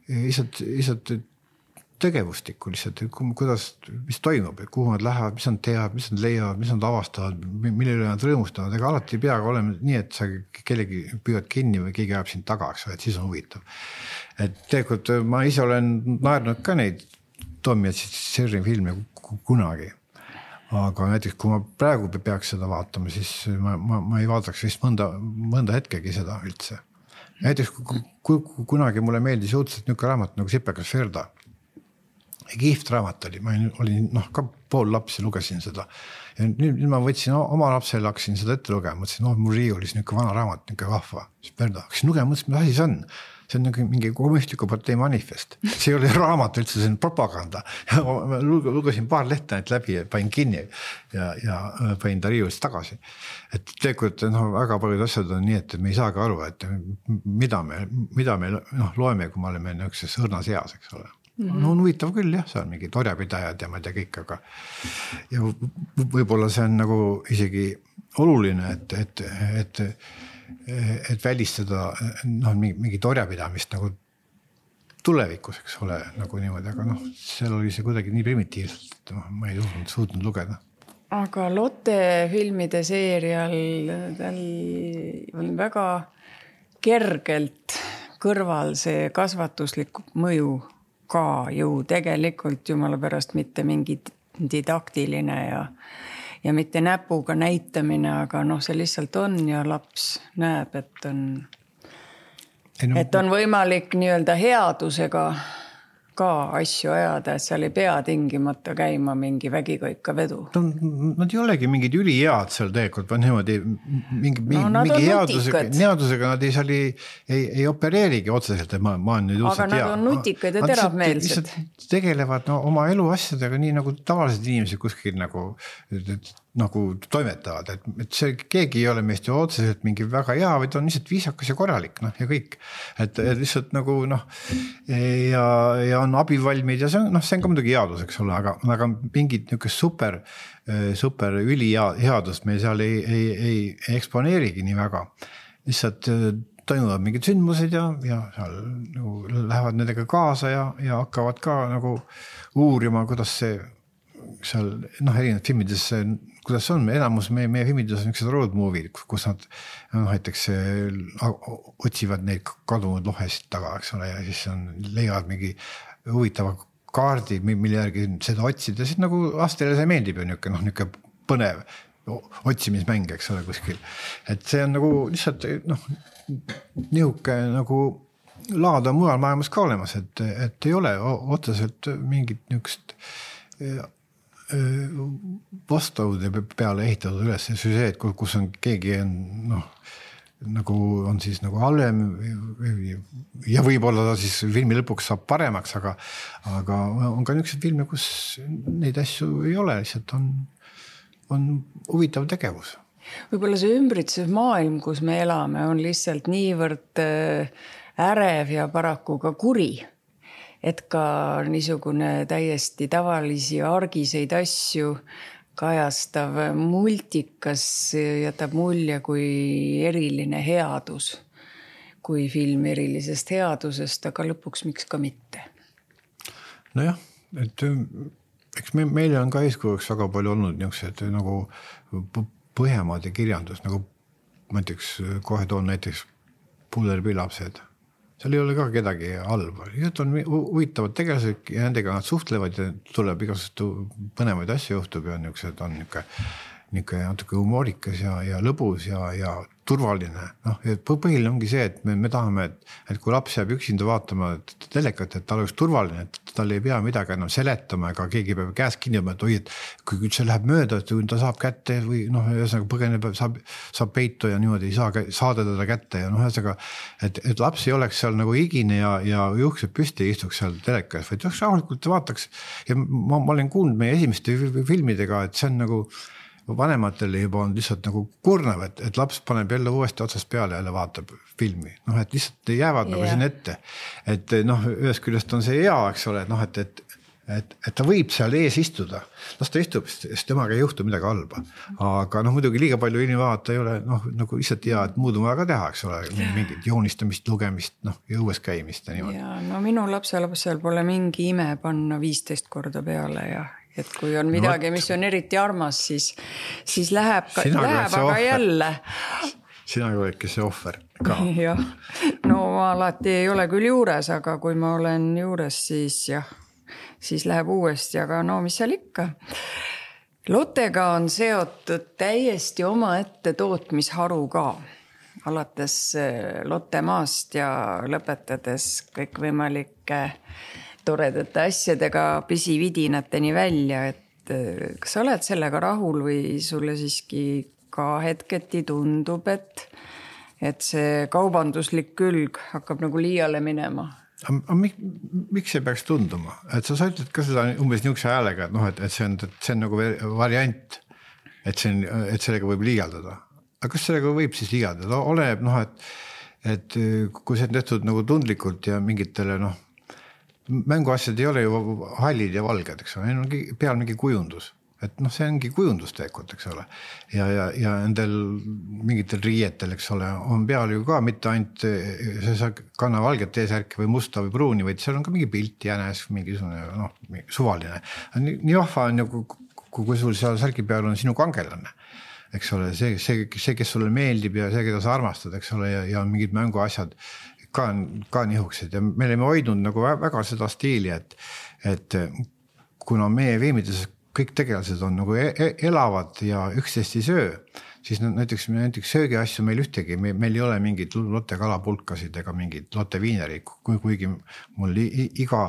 lihtsalt tegevustikku lihtsalt, kuidas, mis toimub, kuhu nad lähevad, mis nad teavad, mis nad leiavad, mis nad avastavad, mille üle nad rõõmustavad, ega alati ei peagi olema nii, et sa kellegi püüad kinni või keegi jääb sind taga, et siis on huvitav. Et tegelikult ma ise olen naernud ka neid Tommy ja Jerry filme kunagi, aga näiteks kui ma praegu peaks seda vaatama, siis ma ei vaataks vist mõnda hetkegi seda üldse. Näiteks kunagi mulle meeldis õudselt niisugune raamat nagu Sipekas Ferda. Kihvt raamat oli, ma olin ka pool lapsi, lugesin seda. Ja nüüd ma võtsin oma lapsele, hakkasin seda ette lugema, mõtlesin, mul riiulis niisugune vana raamat, niisugune vahva. Ferda, hakkasin lugema, mõtlesin, mis asi see on? See on mingi kommunistliku partei manifest. See ei ole raamat üldse, see on propaganda. Ja ma lugesin paar lehte läbi ja panin kinni ja panin ta riiulist tagasi. Et tegelikult väga paljud asjad on nii, et me ei saagi aru, et mida me loeme, kui me oleme niisuguses õrnas eas, eks ole. No on huvitav küll, jah, see on mingid orjapidajad ja ma ei tea kõik, aga ja võib-olla see on nagu isegi oluline, et välistada mingit orjapidamist nagu tulevikus, eks ole, nagu niimoodi, aga seal oli see kuidagi nii primitiivselt, et ma ei suutnud lugeda. Aga Lotte filmide seerial tal on väga kergelt kõrval see kasvatuslik mõju ka ju tegelikult jumala pärast mitte mingi didaktiline ja mitte näpuga näitamine, aga see lihtsalt on ja laps näeb, et on võimalik nii-öelda headusega ka asju ajada, et seal ei pea tingimata käima mingi vägikaika vedu. Nad ei olegi mingid ülihead seal tegelikult, vaan niimoodi mingi headusega nad ei opereerigi otseselt, et ma olen nüüd aga nad on nutikad ja teravmeelsed. Tegelevad oma elu asjadega nii nagu tavalised inimesed kuskil nagu toimetavad, et see keegi ei ole meist ju otseselt mingi väga hea, vaid on lihtsalt viisakas ja korralik ja kõik. Et lihtsalt nagu ja on abivalmid ja see on ka muidugi headus, eks ole, aga mingid niisugust super üliheadust me seal ei eksponeerigi nii väga. Lihtsalt toimuvad mingid sündmused ja seal lähevad nendega kaasa ja hakkavad ka nagu uurima, kuidas see seal erinevad filmides, kuidas on, enamus meie filmides on niisugused road movie, kus nad näiteks otsivad neid kadunud lohesid taga, eks ole, ja siis leiavad mingi huvitava kaardi, mille järgi seda otsida, siis nagu lastele see meeldib ju niisugune põnev otsimismäng, eks ole, kuskil. Et see on nagu lihtsalt niisugune nagu laada mujal maailmas ka olemas, et ei ole otseselt mingit niisugust vastavuse peale ehitatud üles see, et kus on keegi nagu on siis nagu halvem ja võib-olla ta siis filmi lõpuks saab paremaks, aga on ka niisugused filme, kus neid asju ei ole, lihtsalt on huvitav tegevus. Võib-olla see ümbritsev maailm, kus me elame, on lihtsalt niivõrd ärev ja paraku ka kuri. Et ka niisugune täiesti tavalisi argiseid asju kajastav multikas jätab mulje kui eriline headus, kui film erilisest headusest, aga lõpuks miks ka mitte. Nojah, et eks meil on ka eeskujuks väga palju olnud niisugused nagu Põhjamaade kirjandus, nagu näiteks kohe toon näiteks Pullerpilapsed. Seal ei ole ka kedagi halba. Need on huvitavad tegelased ja nendega nad suhtlevad ja tuleb igasuguseid põnevaid asju juhtub ja on niisugune natuke humoorikas ja lõbus ja turvaline. Noh, põhiline ongi see, et me tahame, et kui laps jääb üksinda vaatama telekat, et tal oleks turvaline, et tal ei pea midagi enam seletama, ega keegi peab käest kinni, et oi, et kui see läheb mööda, et ta saab kätte või ühesõnaga põgeneb, saab peitu ja niimoodi ei saada teda kätte ja ühesõnaga, et laps ei oleks seal nagu higine ja juuksed püsti ei istuks seal telekas, vaid rahulikult vaataks. Ja ma olen kuulnud meie esimeste filmidega, et see on nagu vanematele juba on lihtsalt nagu kurnav, et laps paneb jälle uuesti otsast peale jälle vaatab filmi. Et lihtsalt jäävad nagu siin ette. Et ühest küljest on see hea, eks ole, et ta võib seal ees istuda. Las ta istub, sest temaga ei juhtu midagi halba. Aga muidugi liiga palju ilmi vaadata ei ole nagu lihtsalt hea, et muud on vaja ka teha, eks ole, mingit joonistamist, lugemist, ja õues käimist ja niimoodi. Ja minu lapsel pole mingi ime panna 15 korda peale ja et kui on midagi, mis on eriti armas, siis läheb aga jälle. Sina oledki see ohver ka. Ja. No ma alati ei ole küll juures, aga kui ma olen juures, siis läheb uuesti, aga mis seal ikka. Lottega on seotud täiesti omaette tootmisharu ka. Alates Lottemaast ja lõpetades kõikvõimalike toredate asjadega pisividinateni välja, et kas sa oled sellega rahul või sulle siiski ka hetketi tundub, et see kaubanduslik külg hakkab nagu liiale minema? Miks see peaks tunduma? Et sa ütled ka seda umbes niisuguse häälega, et see on nagu variant, et sellega võib liialdada. Aga kas sellega võib siis liialdada? Oleneb, et kui see on tehtud nagu tundlikult ja mingitele, mänguasjad ei ole ju hallid ja valged, eks ole, on peal mingi kujundus. Et see ongi kujundusteekot, eks ole. Ja endel mingitel riietel, eks ole, on peal ju ka mitte ainult see kanna valget eesärki või musta või pruuni, vaid seal on ka mingi pilt jänes, mingisugune suvaline. Nii vahva on ju, kui sul seal särgi peal on sinu kangelane, eks ole, see, kes sulle meeldib ja see, keda sa armastad, eks ole, ja on mingid mänguasjad ka nihukesed ja me oleme hoidnud nagu väga seda stiili, et kuna meie veemides kõik tegelased on nagu elavad ja üksteist ei söö, siis näiteks söögi asju meil ühtegi, meil ei ole mingid lotte kalapulkasid ega mingid lotte viineri, kuigi mul iga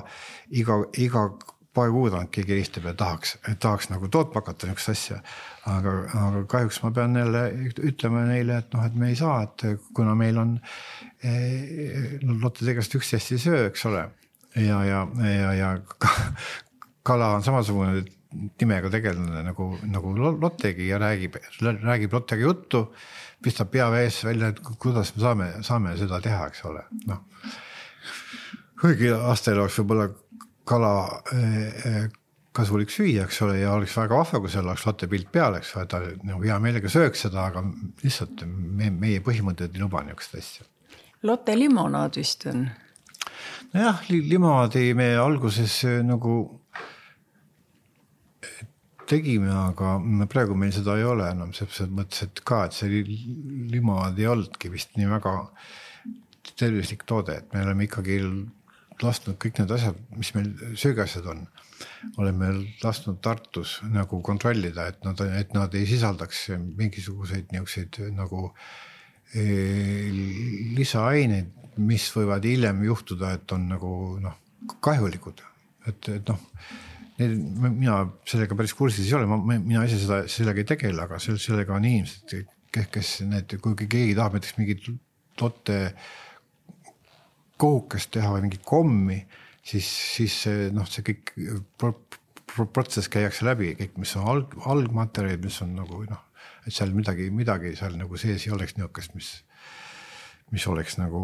paar kuud on keegi helistab ja tahaks nagu tootma hakata niisugust asja, aga kahjuks ma pean jälle ütlema neile, et me ei saa, et kuna meil on lotte tegelast üksteist ei söö, eks ole, ja kala on samasugune nimega tegelane nagu lottegi ja räägib lottega juttu, pistab pea vees välja, et kuidas me saame seda teha, eks ole. Kuigi aastal oleks võib-olla kala kasulik süüa, eks ole, ja oleks väga vahva, kui seal oleks lotte pilt peal, eks ole, ta hea meelega sööks seda, aga lihtsalt meie põhimõtted ei luba niisugust asja. Lotte limonaad vist on? Nojah, limonaadi me alguses nagu tegime, aga praegu meil seda ei ole enam, selles mõttes, et see limonaad ei olnudki vist nii väga tervislik toode, et me oleme ikkagi lasknud kõik need asjad, mis meil söögasjad on, oleme lasknud Tartus nagu kontrollida, et nad ei sisaldaks mingisuguseid niisuguseid nagu lisaaineid, mis võivad hiljem juhtuda, et on nagu kahjulikud. Et mina sellega päris kursis ei ole, mina ise sellega ei tegele, aga sellega on inimesed, kes kui keegi tahab näiteks mingit lotte kohukest teha või mingi kommi, siis see kõik protsess käiakse läbi, kõik, mis on algmaterjalid, mis on nagu, et seal midagi seal nagu sees ei oleks niisugust, mis oleks nagu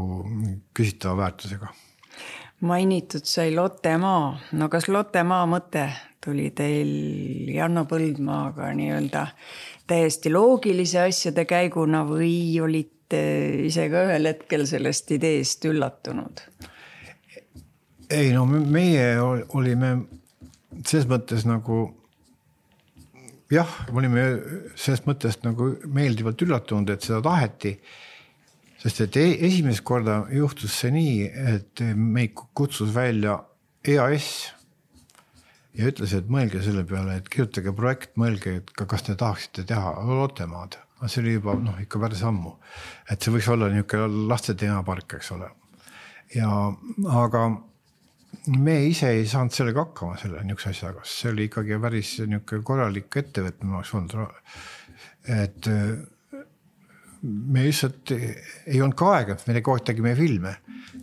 küsitava väärtusega. Mainitud sai Lottemaa. No kas Lottemaa mõte tuli teil Janno Põldmaaga nii-öelda täiesti loogilise asjade käiguna või olite ise ka ühel hetkel sellest ideest üllatunud? Ei, meie olime selles mõttes nagu olime selles mõttes nagu meeldivalt üllatunud, et seda taheti, sest et esimest korda juhtus see nii, et meid kutsus välja EAS ja ütles, et mõelge selle peale, et kirjutage projekt, mõelge, et kas te tahaksite teha Lottemaad. See oli juba ikka päris ammu. Et see võiks olla niisugune laste teemapark, eks ole. Aga me ise ei saanud sellega hakkama selle niisuguse asjaga. See oli ikkagi päris niisugune korralik ettevõtmine oleks olnud. Et me lihtsalt ei olnud ka aega, me kogu aeg tegime filme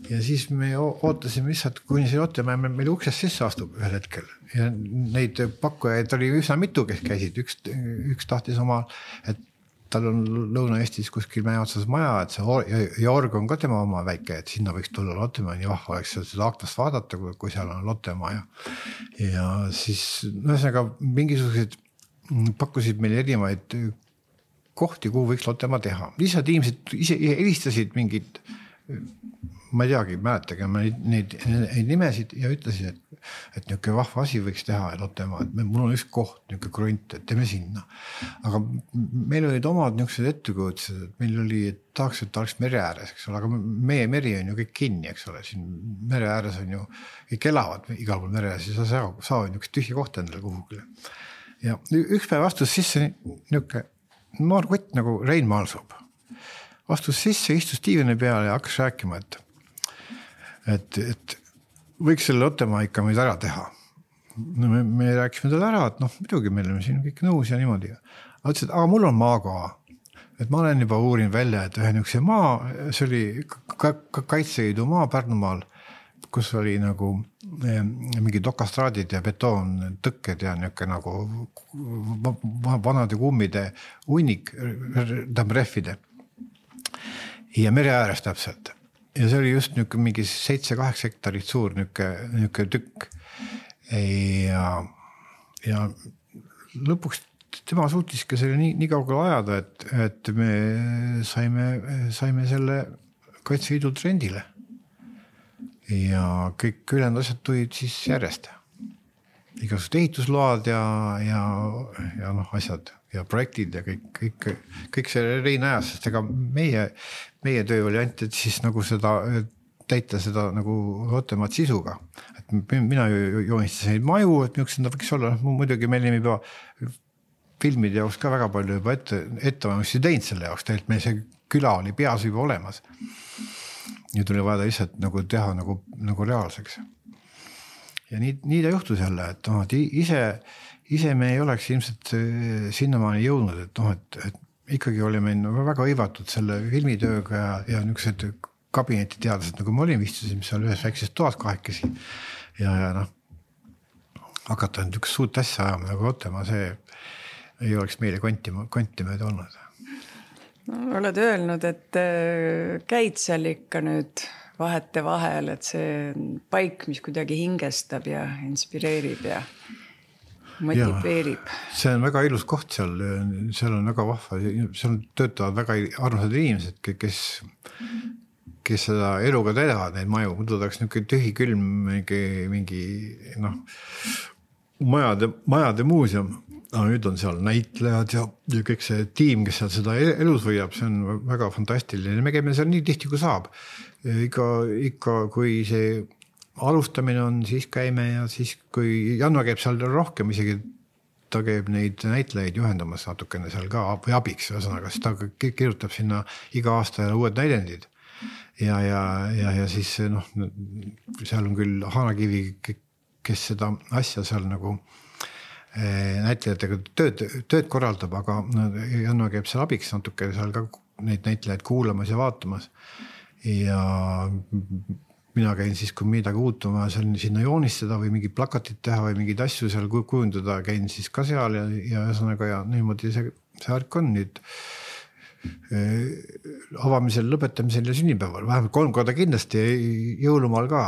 ja siis me ootasime lihtsalt, kuni see Lottemaa meil uksest sisse astub ühel hetkel ja neid pakkujaid oli üsna mitu, kes käisid. Üks tahtis oma, et tal on Lõuna-Eestis kuskil mäe otsas maja, et see Jorg on ka tema oma väike, et sinna võiks tulla Lottemaa, nii vahva oleks seda aknast vaadata, kui seal on Lottemaa ja siis ühesõnaga mingisugused pakkusid meile erinevaid kohti, kuhu võiks Lottemaa teha. Lihtsalt inimesed ise helistasid mingid, ma ei teagi, mäletage neid nimesid ja ütlesid, et niisugune vahva asi võiks teha Lottemaa, et mul on üks koht, niisugune krunt, et teeme sinna. Aga meil olid omad niisugused ettekujutused, et meil oli, et tahaks, et oleks mere ääres, eks ole, aga meie meri on ju kõik kinni, eks ole, siin mere ääres on ju, kõik elavad igal pool mere ääres ja sa saavad niisugust tühja kohta endale kuhugile. Ja üks päev astus sisse niisugune noor kutt nagu Rein Maalsoob. Astus sisse, istus diivani peale ja hakkas rääkima, et võiks selle Lottemaa ikka meid ära teha. Me rääkisime talle ära, et muidugi meil on siin kõik nõus ja niimoodi. Ütles, et aga mul on maakoha. Et ma olen juba uurin välja, et ühe niisuguse maa, see oli Kaitseliidu maa Pärnumaal, kus oli nagu mingi dokastraadid ja betoon tõkked ja niisugune nagu vanade kummide hunnik, rehvide. Ja mere ääres täpselt. Ja see oli just niisugune mingi 7-8 hektarit suur niisugune tükk. Ja lõpuks tema suutiski selle nii kaugele ajada, et me saime selle Kaitseliidu trendile. Ja kõik ülejäänud asjad tulid siis järjest. Igasugused ehitusload ja asjad ja projektid ja kõik see Rein ajas, sest ega meie töö oli ainult, et siis nagu seda täita seda nagu Lottemaad sisuga. Et mina joonistasin neid maju, et milline võiks olla. Muidugi meil ei pea filmide jaoks ka väga palju juba ettevalmistusi teinud selle jaoks. Tegelikult meil see küla oli peas juba olemas. Ja tuli vaja lihtsalt nagu teha nagu reaalseks. Ja nii ta juhtus jälle, et ise me ei oleks ilmselt sinnamaani jõudnud, et ikkagi olime väga hõivatud selle filmitööga ja niisugused kabinetiteadlased, nagu me olime, istusime seal ühes väikses toas kahekesi ja hakata niisugust suurt asja ajama nagu Lottemaa, see ei oleks meile konti mööda olnud. Oled öelnud, et käid seal ikka nüüd vahete vahel, et see paik, mis kuidagi hingestab ja inspireerib ja motiveerib. Ja, see on väga ilus koht seal on väga vahva, seal töötavad väga armsad inimesed, kes seda eluga teevad neid maju, muidu oleks niisugune tühi külm mingi majade muuseum. Nüüd on seal näitlejad ja kõik see tiim, kes seal seda elus võiab, see on väga fantastiline. Me käime seal nii tihti, kui saab. Ikka kui see alustamine on, siis käime ja siis kui Janno käib seal rohkem, isegi ta käib neid näitlejaid juhendamas natukene seal ka või abiks, ühesõnaga, siis ta kirjutab sinna iga aasta uued näidendid. Ja siis seal on küll Haanakivi, kes seda asja seal nagu näitlejatega tööd korraldab, aga Janno käib seal abiks natuke seal ka neid näitlejaid kuulamas ja vaatamas. Ja mina käin siis, kui midagi uutuma sinna joonistada või mingi plakatit teha või mingid asju seal kujundada, käin siis ka seal ja ühesõnaga ja niimoodi see värk on nüüd avamisel, lõpetamisel ja sünnipäeval. Vähemalt 3 korda kindlasti, jõulumaal ka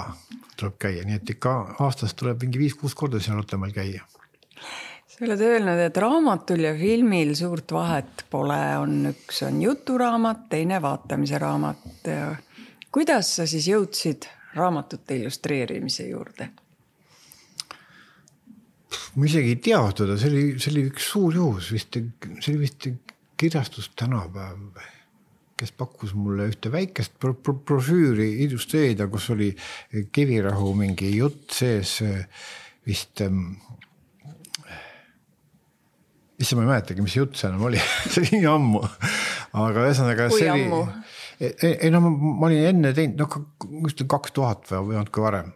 tuleb käia, nii et ikka aastas tuleb mingi 5-6 korda seal Lottemaal käia. Sa oled öelnud, et raamatul ja filmil suurt vahet pole, üks on juturaamat, teine vaatamise raamat. Kuidas sa siis jõudsid raamatute illustreerimise juurde? Ma isegi ei teadnud, see oli üks suur juhus, see oli vist kirjastus tänapäev, kes pakkus mulle ühte väikest brošüüri illustreerida, kus oli Kivirahu mingi jutt sees vist isse ma ei mäletagi, mis jutt see enam oli, see oli nii ammu, aga ühesõnaga kui see ammu? Ei no ma olin enne teinud, 2000 või natuke varem,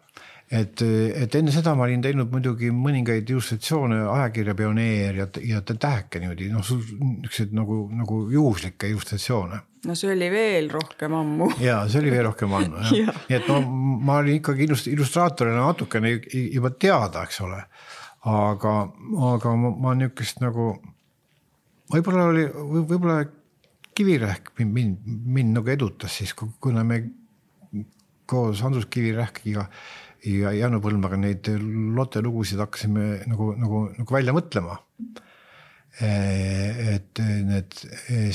et enne seda ma olin teinud muidugi mõningaid illustratsioone, ajakirja Pioneer ja Täheke niimoodi, niisugused nagu juhuslikke illustratsioone. No see oli veel rohkem ammu. Jaa, see oli veel rohkem ammu. Nii et ma olin ikkagi illustraatorina natukene juba teada, eks ole. Aga ma niisugust nagu, võib-olla Kivirähk mind nagu edutas siis, kuna me koos Andrus Kivirähkiga ja Janno Põlmaga neid Lotte lugusid hakkasime nagu välja mõtlema. Et need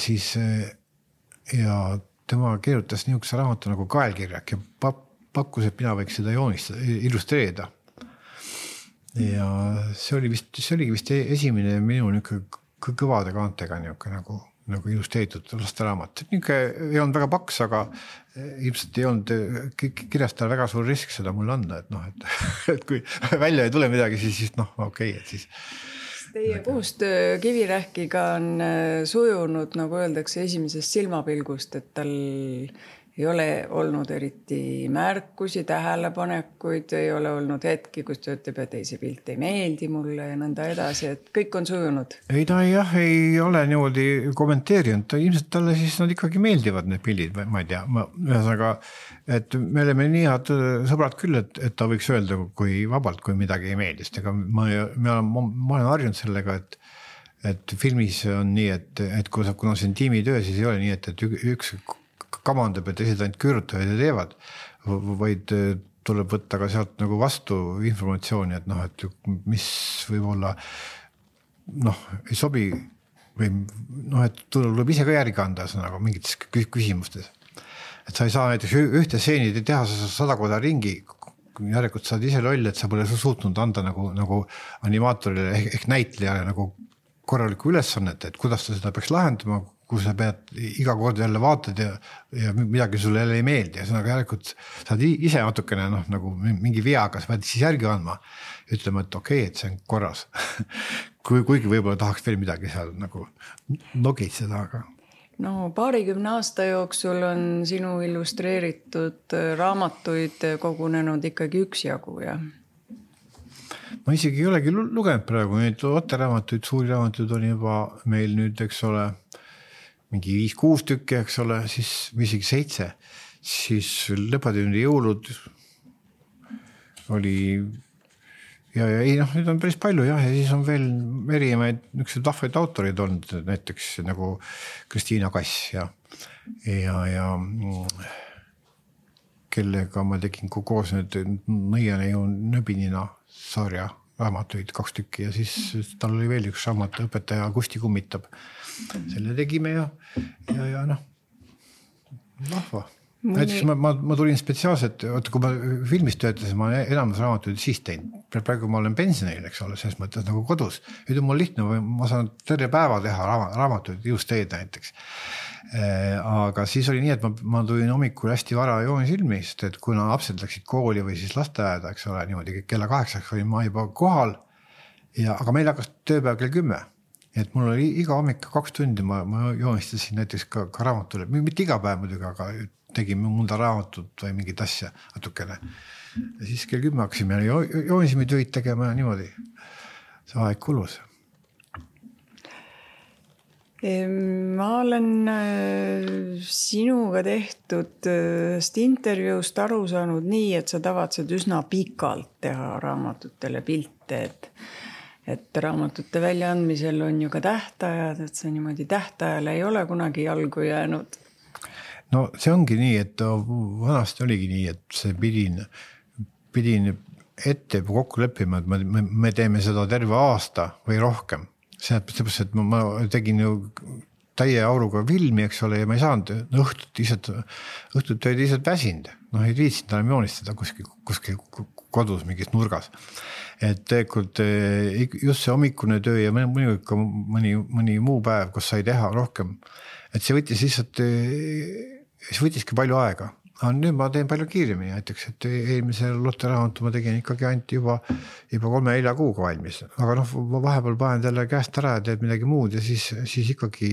siis ja tema kirjutas niisuguse raamatu nagu Kaelkirjak ja pakkus, et mina võiks seda joonistada, illustreerida. Ja see oligi vist esimene minu kõvade kaantega nagu illustreeritud lasteraamat. Ei olnud väga paks, aga ilmselt ei olnud kirjastada väga suur risk seda mulle anda, et kui välja ei tule midagi, siis okei, et siis. Teie koostöö Kivirähkiga on sujunud, nagu öeldakse, esimesest silmapilgust, et tal ei ole olnud eriti märkusi, tähelepanekuid, ei ole olnud hetki, kus ta ütleb, et see pilt ei meeldi mulle ja nõnda edasi, et kõik on sujunud. Ei ta ei ole niimoodi kommenteerinud, ilmselt talle siis nad ikkagi meeldivad need pildid, ma ei tea, ühesõnaga, et me oleme nii head sõbrad küll, et ta võiks öelda kui vabalt, kui midagi ei meeldist, ega ma olen harjunud sellega, et filmis on nii, et kuna see on tiimitöö, siis ei ole nii, et üks kamandab, et teised ainult küürutavad ja teevad, vaid tuleb võtta ka sealt nagu vastu informatsiooni, et mis võib-olla ei sobi või et tuleb ise ka järgi anda nagu mingites küsimustes. Et sa ei saa näiteks ühte seeni teha 100 korda ringi, järelikult saad ise loll, et sa pole suutnud anda nagu animaatorile ehk näitlejale nagu korralikku ülesannet, et kuidas ta seda peaks lahendama, kus sa pead iga kord jälle vaatad ja midagi sulle jälle ei meeldi. Ja järelikult saad ise natukene nagu mingi veaga, sa pead siis järgi andma, ütlema, et okei, et see on korras. Kuigi võib-olla tahaks veel midagi seal nagu nogitseda, aga. No 20 aasta jooksul on sinu illustreeritud raamatuid kogunenud ikkagi üksjagu, jah? Ma isegi ei olegi lugenud praegu, neid Lotte-raamatuid, suuri raamatuid on juba meil nüüd, eks ole, mingi 5-6 tükki, eks ole, siis isegi 7, siis Lõpatündi jõulud oli ja nüüd on päris palju ja siis on veel erinevaid niisugused vahvaid autorid olnud, näiteks nagu Kristiina Kass ja kellega ma tegin koos nüüd Nõiane ju Nöbinina sarja raamatuid 2 tükki ja siis tal oli veel üks raamat Õpetaja Kusti kummitab. Selle tegime ja vahva. Näiteks ma tulin spetsiaalselt, kui ma filmis töötasin, ma enamus raamatuid siis teinud. Praegu ma olen pensionil, eks ole, selles mõttes nagu kodus. Nüüd on mul lihtne, ma saan terve päeva teha raamatuid just teed näiteks. Aga siis oli nii, et ma tulin hommikul hästi vara joonisilmi, sest et kuna lapsed läksid kooli või siis lasteaeda, eks ole, niimoodi kella 8 olin ma juba kohal, aga meil hakkas tööpäev kell 10. Et mul oli iga hommik 2 tundi, ma joonistasin näiteks ka raamatule, mitte iga päev muidugi, aga tegime mõnda raamatut või mingit asja natukene. Ja siis kell 10 hakkasime joonisime tööd tegema ja niimoodi. See aeg kulus. Ma olen sinuga tehtud intervjuust aru saanud nii, et sa tavatsed üsna pikalt teha raamatutele pilte, et raamatute väljaandmisel on ju ka tähtajad, et see niimoodi tähtajale ei ole kunagi jalgu jäänud. No see ongi nii, et vanasti oligi nii, et see pidin ette kokku leppima, et me teeme seda terve aasta või rohkem. Seepärast, et ma tegin ju täie auruga filmi, eks ole, ja ma ei saanud õhtut tööd lihtsalt väsinud. Ei viitsinud enam joonistada kuskil kodus mingis nurgas. Et tegelikult just see hommikune töö ja mõni muu päev, kus sai teha rohkem. Et see võttiski palju aega. nüüd ma teen palju kiiremini näiteks, et eelmise lotteraamatu ma tegin ikkagi ainult juba 3-4 kuuga valmis, aga vahepeal panen jälle käest ära ja teed midagi muud ja siis ikkagi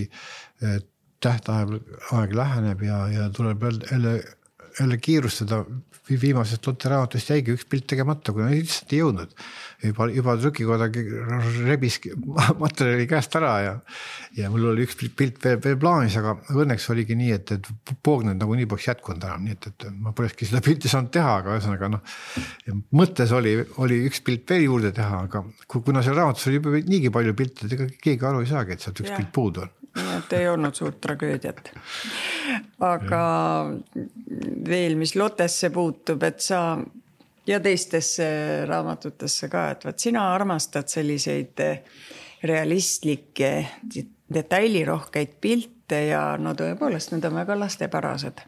tähtaeg läheneb ja tuleb jälle kiirustada. Viimasest lotteraamatust jäigi üks pilt tegemata, kuna lihtsalt ei jõudnud. Juba trükikoda rebis materjali käest ära ja mul oli üks pilt veel plaanis, aga õnneks oligi nii, et poognud nagu nii poleks jätkunud ära, nii et ma polekski seda pilti saanud teha, aga ühesõnaga mõttes oli üks pilt veel juurde teha, aga kuna seal raamatus oli juba niigi palju pilte, ega keegi aru ei saagi, et sealt üks pilt puudu on. Nii et ei olnud suurt tragöödiat. Aga veel, mis Lottesse puutub, et sa ja teistesse raamatutesse ka, et vaat sina armastad selliseid realistlikke, detailirohkeid pilte ja no tõepoolest, need on väga lastepärased.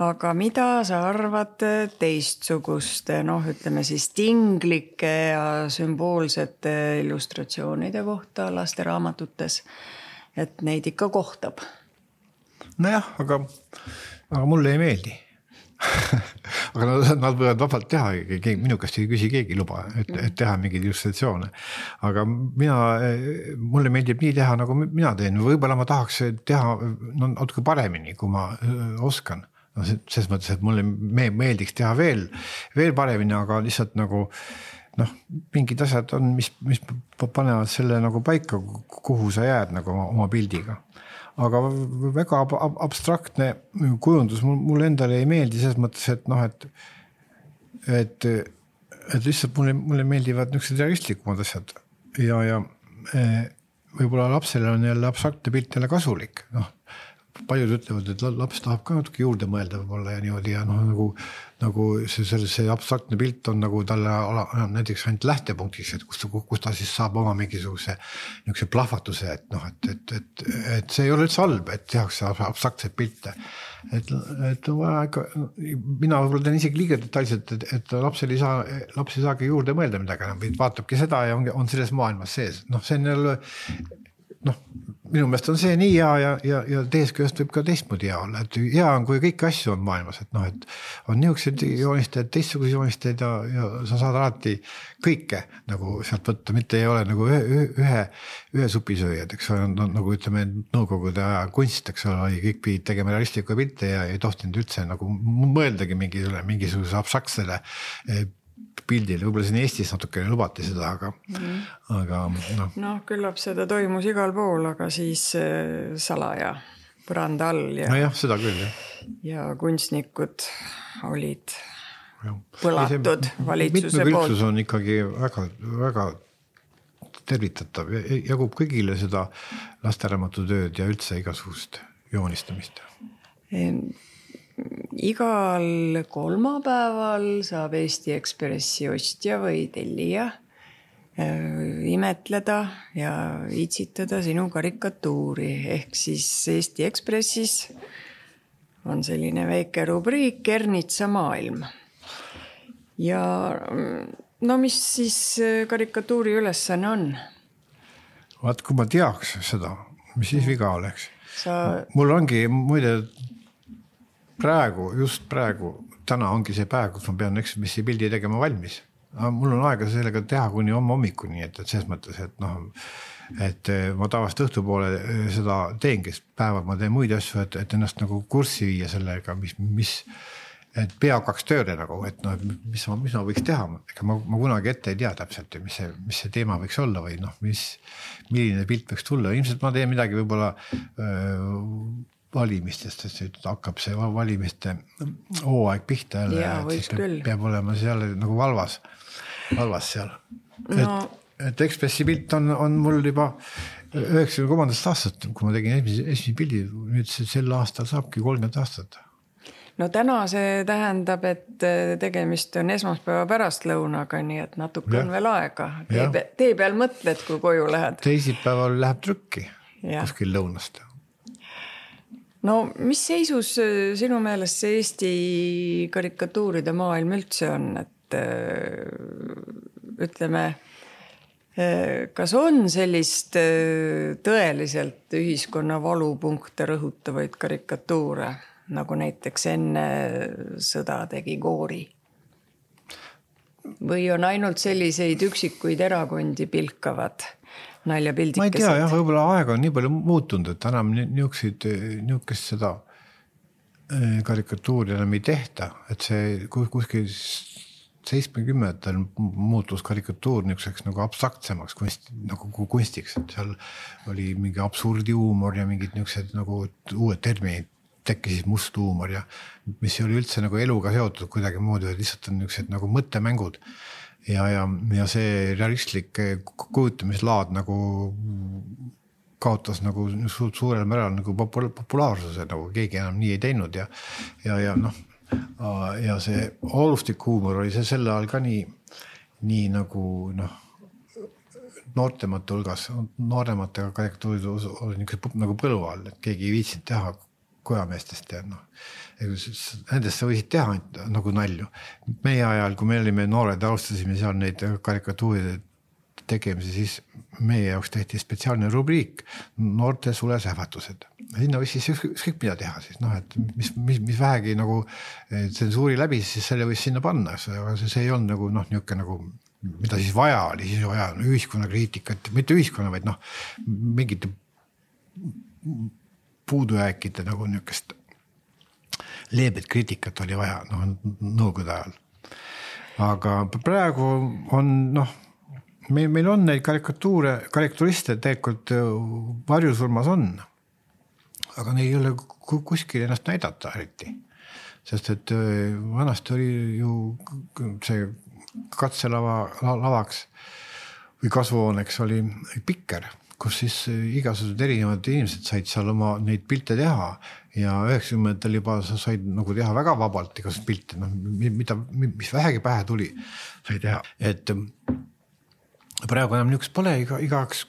Aga mida sa arvad teistsuguste, ütleme siis tinglike ja sümboolsete illustratsioonide kohta lasteraamatutes? Et neid ikka kohtab. Nojah, aga mulle ei meeldi. Aga nad võivad vabalt teha, minu käest ei küsi keegi luba, et teha mingeid illustratsioone. Aga mulle meeldib nii teha, nagu mina teen. Võib-olla ma tahaks teha natuke paremini, kui ma oskan. Selles mõttes, et mulle meeldiks teha veel paremini, aga lihtsalt nagu mingid asjad on, mis panevad selle nagu paika, kuhu sa jääd nagu oma pildiga. Aga väga abstraktne kujundus mulle endale ei meeldi selles mõttes, et lihtsalt mulle meeldivad niisugused realistlikumad asjad ja võib-olla lapsele on jälle abstraktne pilt jälle kasulik. Paljud ütlevad, et laps tahab ka natuke juurde mõelda võib-olla ja niimoodi ja nagu see abstraktne pilt on nagu talle näiteks ainult lähtepunktis, et kus ta siis saab oma mingisuguse plahvatuse, et see ei ole üldse halb, et tehakse abstraktseid pilte. Et mina võib-olla teen isegi liiga detailselt, et laps ei saagi juurde mõelda midagi, vaatabki seda ja on selles maailmas sees. See on jälle minu meelest on see nii hea ja teisest küljest võib ka teistmoodi hea olla, et hea on, kui kõik asju on maailmas, et on niisugused joonistajad, teistsugused joonistajad ja sa saad alati kõike nagu sealt võtta, mitte ei ole nagu ühe supisööjad, eks nagu ütleme nõukogude aja kunst, eks ole, kõik pidid tegema realistliku pilte ja ei tohtinud üldse nagu mõeldagi mingisuguse abstraktsele pildil, võib-olla siin Eestis natukene lubati seda, aga küllap seda toimus igal pool, aga siis salaja põranda all ja seda küll, ja kunstnikud olid põlatud valitsuse poolt. Mitmekülgsus on ikkagi väga, väga tervitatav, jagub kõigile seda lasteraamatutööd ja üldse igasugust joonistamist. Igal kolmapäeval saab Eesti Ekspressi ostja või tellija imetleda ja itsitada sinu karikatuuri. Ehk siis Eesti Ekspressis on selline väike rubriik Ernitsa maailm. Ja mis siis karikatuuri ülesanne on? Vaat, kui ma teaks seda, mis siis viga oleks. Mul ongi muide just praegu, täna ongi see päev, kus ma pean Ekspressi pildi tegema valmis. Mul on aega sellega teha kuni hommikuni, et selles mõttes, et ma tavaliselt õhtupoole seda teengi, päeval ma teen muid asju, et ennast nagu kurssi viia sellega, et pea hakkaks tööle nagu, et mis ma võiks teha. Ega ma kunagi ette ei tea täpselt, mis see teema võiks olla või milline pilt võiks tulla. Ilmselt ma teen midagi võib-olla valimistest, et hakkab see valimiste hooaeg pihta jälle, et peab olema seal nagu valvas seal. Et Ekspressi pilt on mul juba 93. aastat, kui ma tegin esimese pildi, nüüd sel aastal saabki 30 aastat. Täna see tähendab, et tegemist on esmaspäeva pärastlõunaga, nii et natuke on veel aega. Tee peal mõtled, kui koju lähed. Teisipäeval läheb trükki kuskil lõunast. Mis seisus sinu meelest see Eesti karikatuuride maailm üldse on, et ütleme, kas on sellist tõeliselt ühiskonna valupunkte rõhutavaid karikatuure? nagu näiteks enne sõda tegi Goori? Või on ainult selliseid üksikuid erakondi pilkavad naljapildikesed? Ma ei tea jah, võib-olla aeg on nii palju muutunud, et enam niukest seda karikatuuri enam ei tehta, et see kuskil 70-ndatel muutus karikatuur niisuguseks nagu abstraktsemaks nagu kunstiks, et seal oli mingi absurdihuumor ja mingid niisugused nagu uued terminid tekkisid must huumor ja mis oli üldse nagu eluga seotud kuidagi moodi, et lihtsalt on niisugused nagu mõttemängud ja see realistlik kujutamislaad nagu kaotas nagu suurel määral nagu populaarsuse, nagu keegi enam nii ei teinud ja noh, ja see olustik huumor oli see selle ajal ka nii nagu noh, noortemate hulgas, noorematega karikatuurid oli niisugused nagu põlu all, et keegi ei viitsinud teha kojameestest ja noh, nendest sa võisid teha nagu nalju. Meie ajal, kui me olime noored, alustasime seal neid karikatuuride tegemise, siis meie jaoks tehti spetsiaalne rubriik noorte sulesähvatused. Sinna võis siis ükskõik mida teha siis, noh, et mis vähegi nagu tsensuuri läbi, siis selle võis sinna panna, aga see ei olnud nagu noh, niisugune nagu mida siis vaja oli, siis vaja ühiskonnakriitikat, mitte ühiskonna, vaid noh, mingite puudujääkide nagu niisugust leebet kriitikat oli vaja nõukogude ajal. Aga praegu on noh, meil on neid karikaturiste tegelikult varjusurmas on, aga neil ei ole kuskil ennast näidata eriti. Sest et vanasti oli ju see katselavaks või kasvuhooneks oli Pikker, kus siis igasugused erinevad inimesed said seal oma neid pilte teha ja 90-ndatel juba sa said nagu teha väga vabalt igasugused pilte, mis vähegi pähe tuli, sai teha. Et praegu enam niisugust pole igaks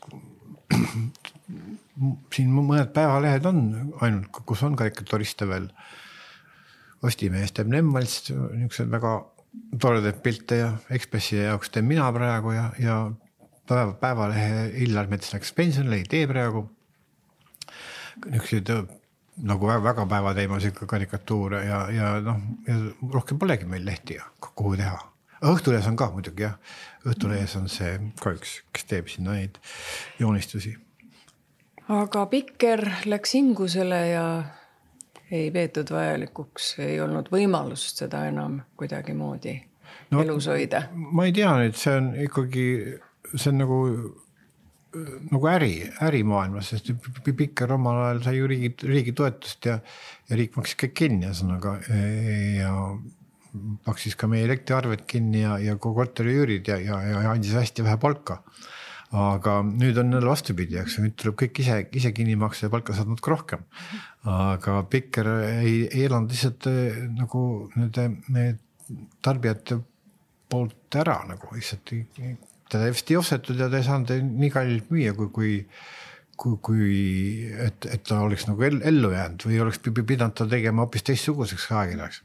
siin mõned päevalehed on ainult, kus on karikaturiste veel. Postimees teeb Nemvalist niisugused väga toredad pilte ja Ekspressi jaoks teen mina praegu ja päevalehe Illar Mets läks pensionile, ei tee praegu. Niisugused nagu väga päevateemasi karikatuure ja noh, rohkem polegi meil lehti kuhu teha. Õhtulehes on ka muidugi jah. Õhtulehes on see ka üks, kes teeb sinna neid joonistusi. Aga Pikker läks hingusele ja ei peetud vajalikuks, ei olnud võimalust seda enam kuidagi moodi elus hoida. Ma ei tea nüüd, see on ikkagi see on nagu ärimaailmas, sest Pikker omal ajal sai ju riigi toetust ja riik maksis kõik kinni ja maksis ka meie elektriarved kinni ja korteriüürid ja andis hästi vähe palka. Aga nüüd on neil vastupidi, nüüd tuleb kõik ise kinni maksa ja palka saad natuke rohkem. Aga Pikker ei elanud lihtsalt nagu need tarbijate poolt ära nagu lihtsalt teda vist ei ostetud ja ta ei saanud nii kallilt müüa, et ta oleks nagu ellu jäänud või oleks pidanud ta tegema hoopis teistsuguseks ajakirjaks.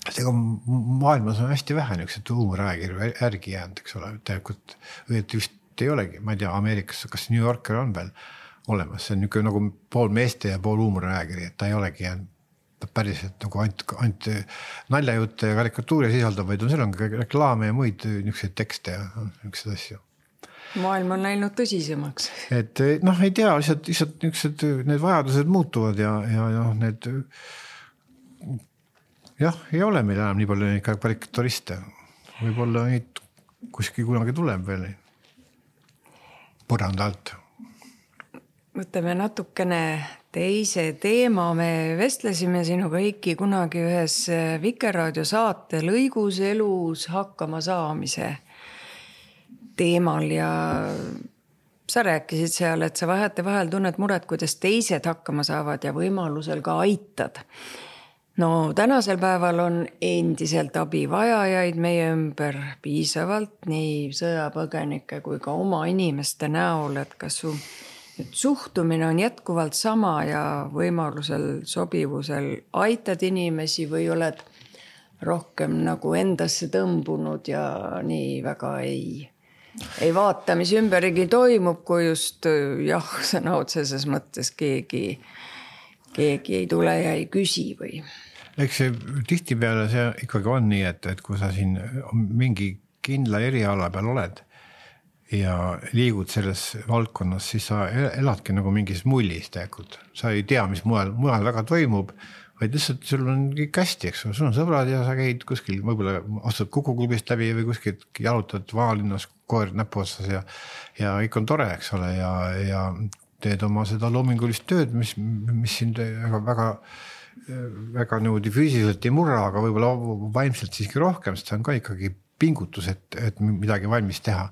Seega maailmas on hästi vähe niisugused huumoriajakirju järgi jäänud, eks ole, tegelikult vist ei olegi, ma ei tea, Ameerikas, kas New Yorker on veel olemas, see on niisugune nagu pool meeste ja pool huumoriajakiri, et ta ei olegi jäänud päriselt nagu ainult naljajutte ja karikatuuri sisaldab, vaid seal on ka reklaame ja muid niisuguseid tekste ja niisuguseid asju. Maailm on läinud tõsisemaks. Et noh, ei tea, lihtsalt niisugused need vajadused muutuvad ja need jah, ei ole meil enam nii palju neid karikaturiste. Võib-olla neid kuskil kunagi tuleb veel põranda alt. Võtame natukene teise teema. Me vestlesime sinuga Heiki kunagi ühes Vikerraadio saate lõigus elus hakkama saamise teemal ja sa rääkisid seal, et sa vahel tunned muret, kuidas teised hakkama saavad ja võimalusel ka aitad. No tänasel päeval on endiselt abivajajaid meie ümber piisavalt nii sõjapõgenike kui ka oma inimeste näol, et kas su suhtumine on jätkuvalt sama ja võimalusel sobivusel aitad inimesi või oled rohkem nagu endasse tõmbunud ja nii väga ei vaata, mis ümberigi toimub, kui just jah, sõna otseses mõttes keegi keegi ei tule ja ei küsi või? Eks see tihtipeale see ikkagi on nii, et kui sa siin mingi kindla eriala peal oled ja liigud selles valdkonnas, siis sa eladki nagu mingis mullis tegelikult. Sa ei tea, mis mujal väga toimub, vaid lihtsalt sul on kõik hästi, eks sul on sõbrad ja sa käid kuskil, võib-olla astud Kukuklubist läbi või kuskil jalutad vanalinnas koer näpu otsas ja kõik on tore, eks ole, ja teed oma seda loomingulist tööd, mis sind väga niimoodi füüsiliselt ei murra, aga võib-olla vaimselt siiski rohkem, sest see on ka ikkagi pingutus, et midagi valmis teha.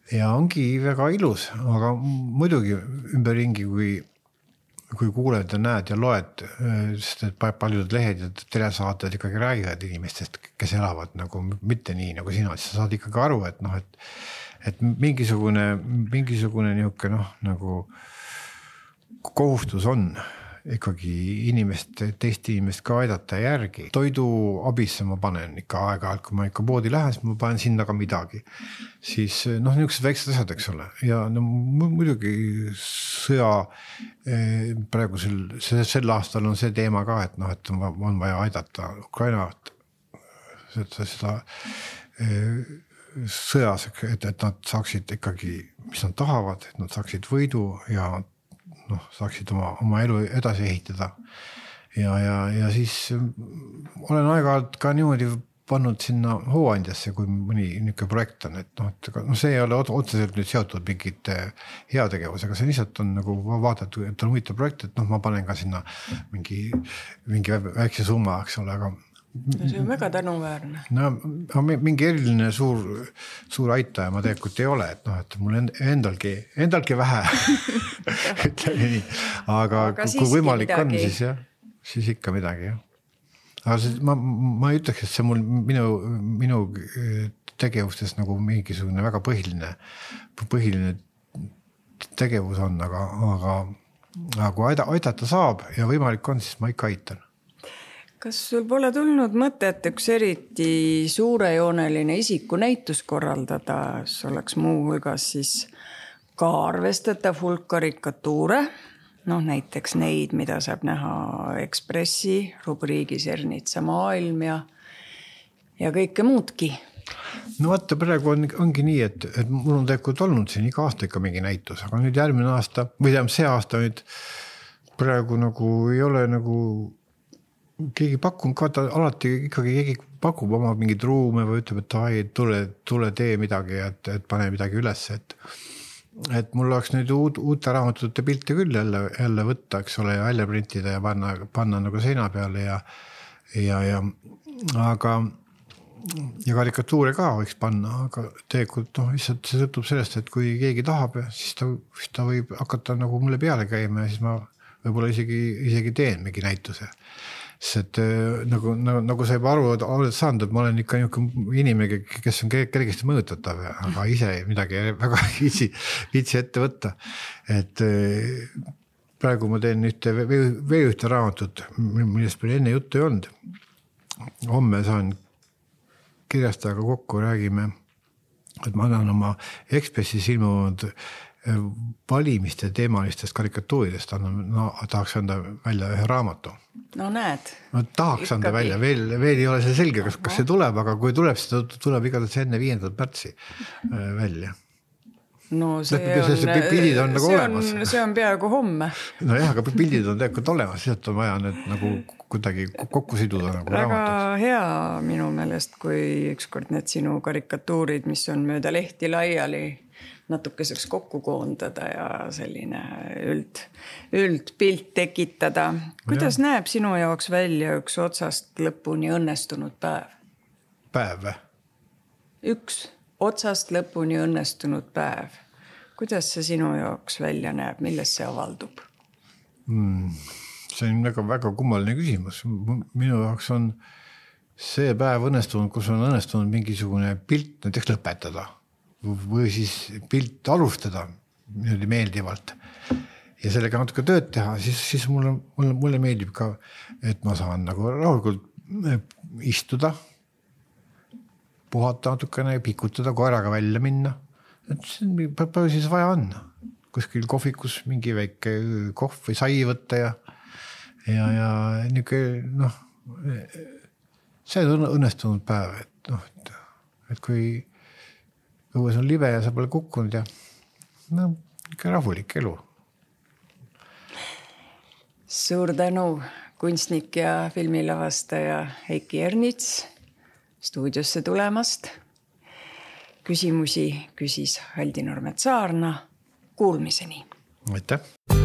Ja ongi väga ilus, aga muidugi ümberringi, kui kuuled ja näed ja loed, sest et paljud lehed ja telesaated ikkagi räägivad inimestest, kes elavad nagu mitte nii nagu sina, siis sa saad ikkagi aru, et mingisugune niisugune nagu kohustus on ikkagi teist inimest ka aidata järgi. Toidu abisse ma panen ikka aeg-ajalt, kui ma ikka poodi lähen, siis ma panen sinna ka midagi. Siis niisugused väiksed asjad, eks ole. Ja muidugi sõja praegu sel aastal on see teema ka, et on vaja aidata Ukrainat seda sõjas, et nad saaksid ikkagi, mis nad tahavad, et nad saaksid võidu ja saaksid oma elu edasi ehitada. Ja siis olen aeg-ajalt ka niimoodi pannud sinna hooandjasse, kui mõni niisugune projekt on, et see ei ole otseselt nüüd seotud mingite heategevusega, see lihtsalt on nagu vaadata, et on huvitav projekt, et ma panen ka sinna mingi väikse summa, eks ole, aga see on väga tänuväärne. No mingi eriline suur aitaja ma tegelikult ei ole, et mul endalgi vähe, ütleme nii, aga kui võimalik midagi on, siis ikka midagi, jah. Aga ma ei ütleks, et see minu tegevustes nagu mingisugune väga põhiline tegevus on, aga kui aidata saab ja võimalik on, siis ma ikka aitan. Kas sul pole tulnud mõtet üks eriti suurejooneline isikunäitus korraldada, oleks muu hulgas siis ka arvestatav hulk karikatuure, näiteks neid, mida saab näha Ekspressi rubriigis Ernitsa maailm ja kõike muudki? No vaata, praegu ongi nii, et mul on tegelikult olnud siin iga aasta ikka mingi näitus, aga nüüd järgmine aasta, või see aasta nüüd praegu nagu ei ole nagu keegi pakkunud ka, alati ikkagi keegi pakub oma mingid ruume või ütleb, et tule tee midagi, et pane midagi üles, et mul oleks nüüd uute raamatute pilte küll jälle võtta, eks ole, ja välja printida ja panna nagu seina peale aga karikatuure ka võiks panna, aga tegelikult lihtsalt see sõltub sellest, et kui keegi tahab, siis ta võib hakata nagu mulle peale käima ja siis ma võib-olla isegi teen mingi näituse. Sest nagu sa juba aru oled saanud, et ma olen ikka inimene, kes on kergesti mõjutatav, aga ise midagi väga viitsi ette võtta. Et praegu ma teen ühte raamatut, millest meil enne juttu ei olnud. Homme saan kirjastajaga kokku, räägime, et ma annan oma Ekspressis ilmunud valimiste teemalistest karikatuuridest, tahaks anda välja ühe raamatu. No näed. No tahaks anda välja, veel ei ole see selge, kas see tuleb, aga kui tuleb, siis tuleb igatahes enne 5. märtsi välja. No pildid on nagu olemas. See on peaaegu homme. No jah, aga pildid on tegelikult olemas, sealt on vaja need nagu kuidagi kokku siduda nagu väga raamatuks. Hea minu meelest, kui ükskord need sinu karikatuurid, mis on mööda lehti laiali, natukeseks kokku koondada ja selline üldpilt tekitada. Kuidas näeb sinu jaoks välja üks otsast lõpuni õnnestunud päev? Päev või? Üks otsast lõpuni õnnestunud päev. Kuidas see sinu jaoks välja näeb? Milles see avaldub? See on väga kummaline küsimus. Minu jaoks on see päev õnnestunud, kus on õnnestunud mingisugune pilt näiteks lõpetada või siis pilt alustada meeldivalt ja sellega natuke tööd teha, siis mulle meeldib ka, et ma saan nagu rahulikult istuda, puhata natukene, pikutada, koeraga välja minna. Palju siis vaja on? Kuskil kohvikus mingi väike kohv või sai võtta ja niisugune see on õnnestunud päev, et kui õues on libe ja sa pole kukkunud ja ikka rahulik elu. Suur tänu, kunstnik ja filmilavastaja Heiki Ernits stuudiosse tulemast. Küsimusi küsis Haldi Nurmet Saarna. Kuulmiseni. Aitäh!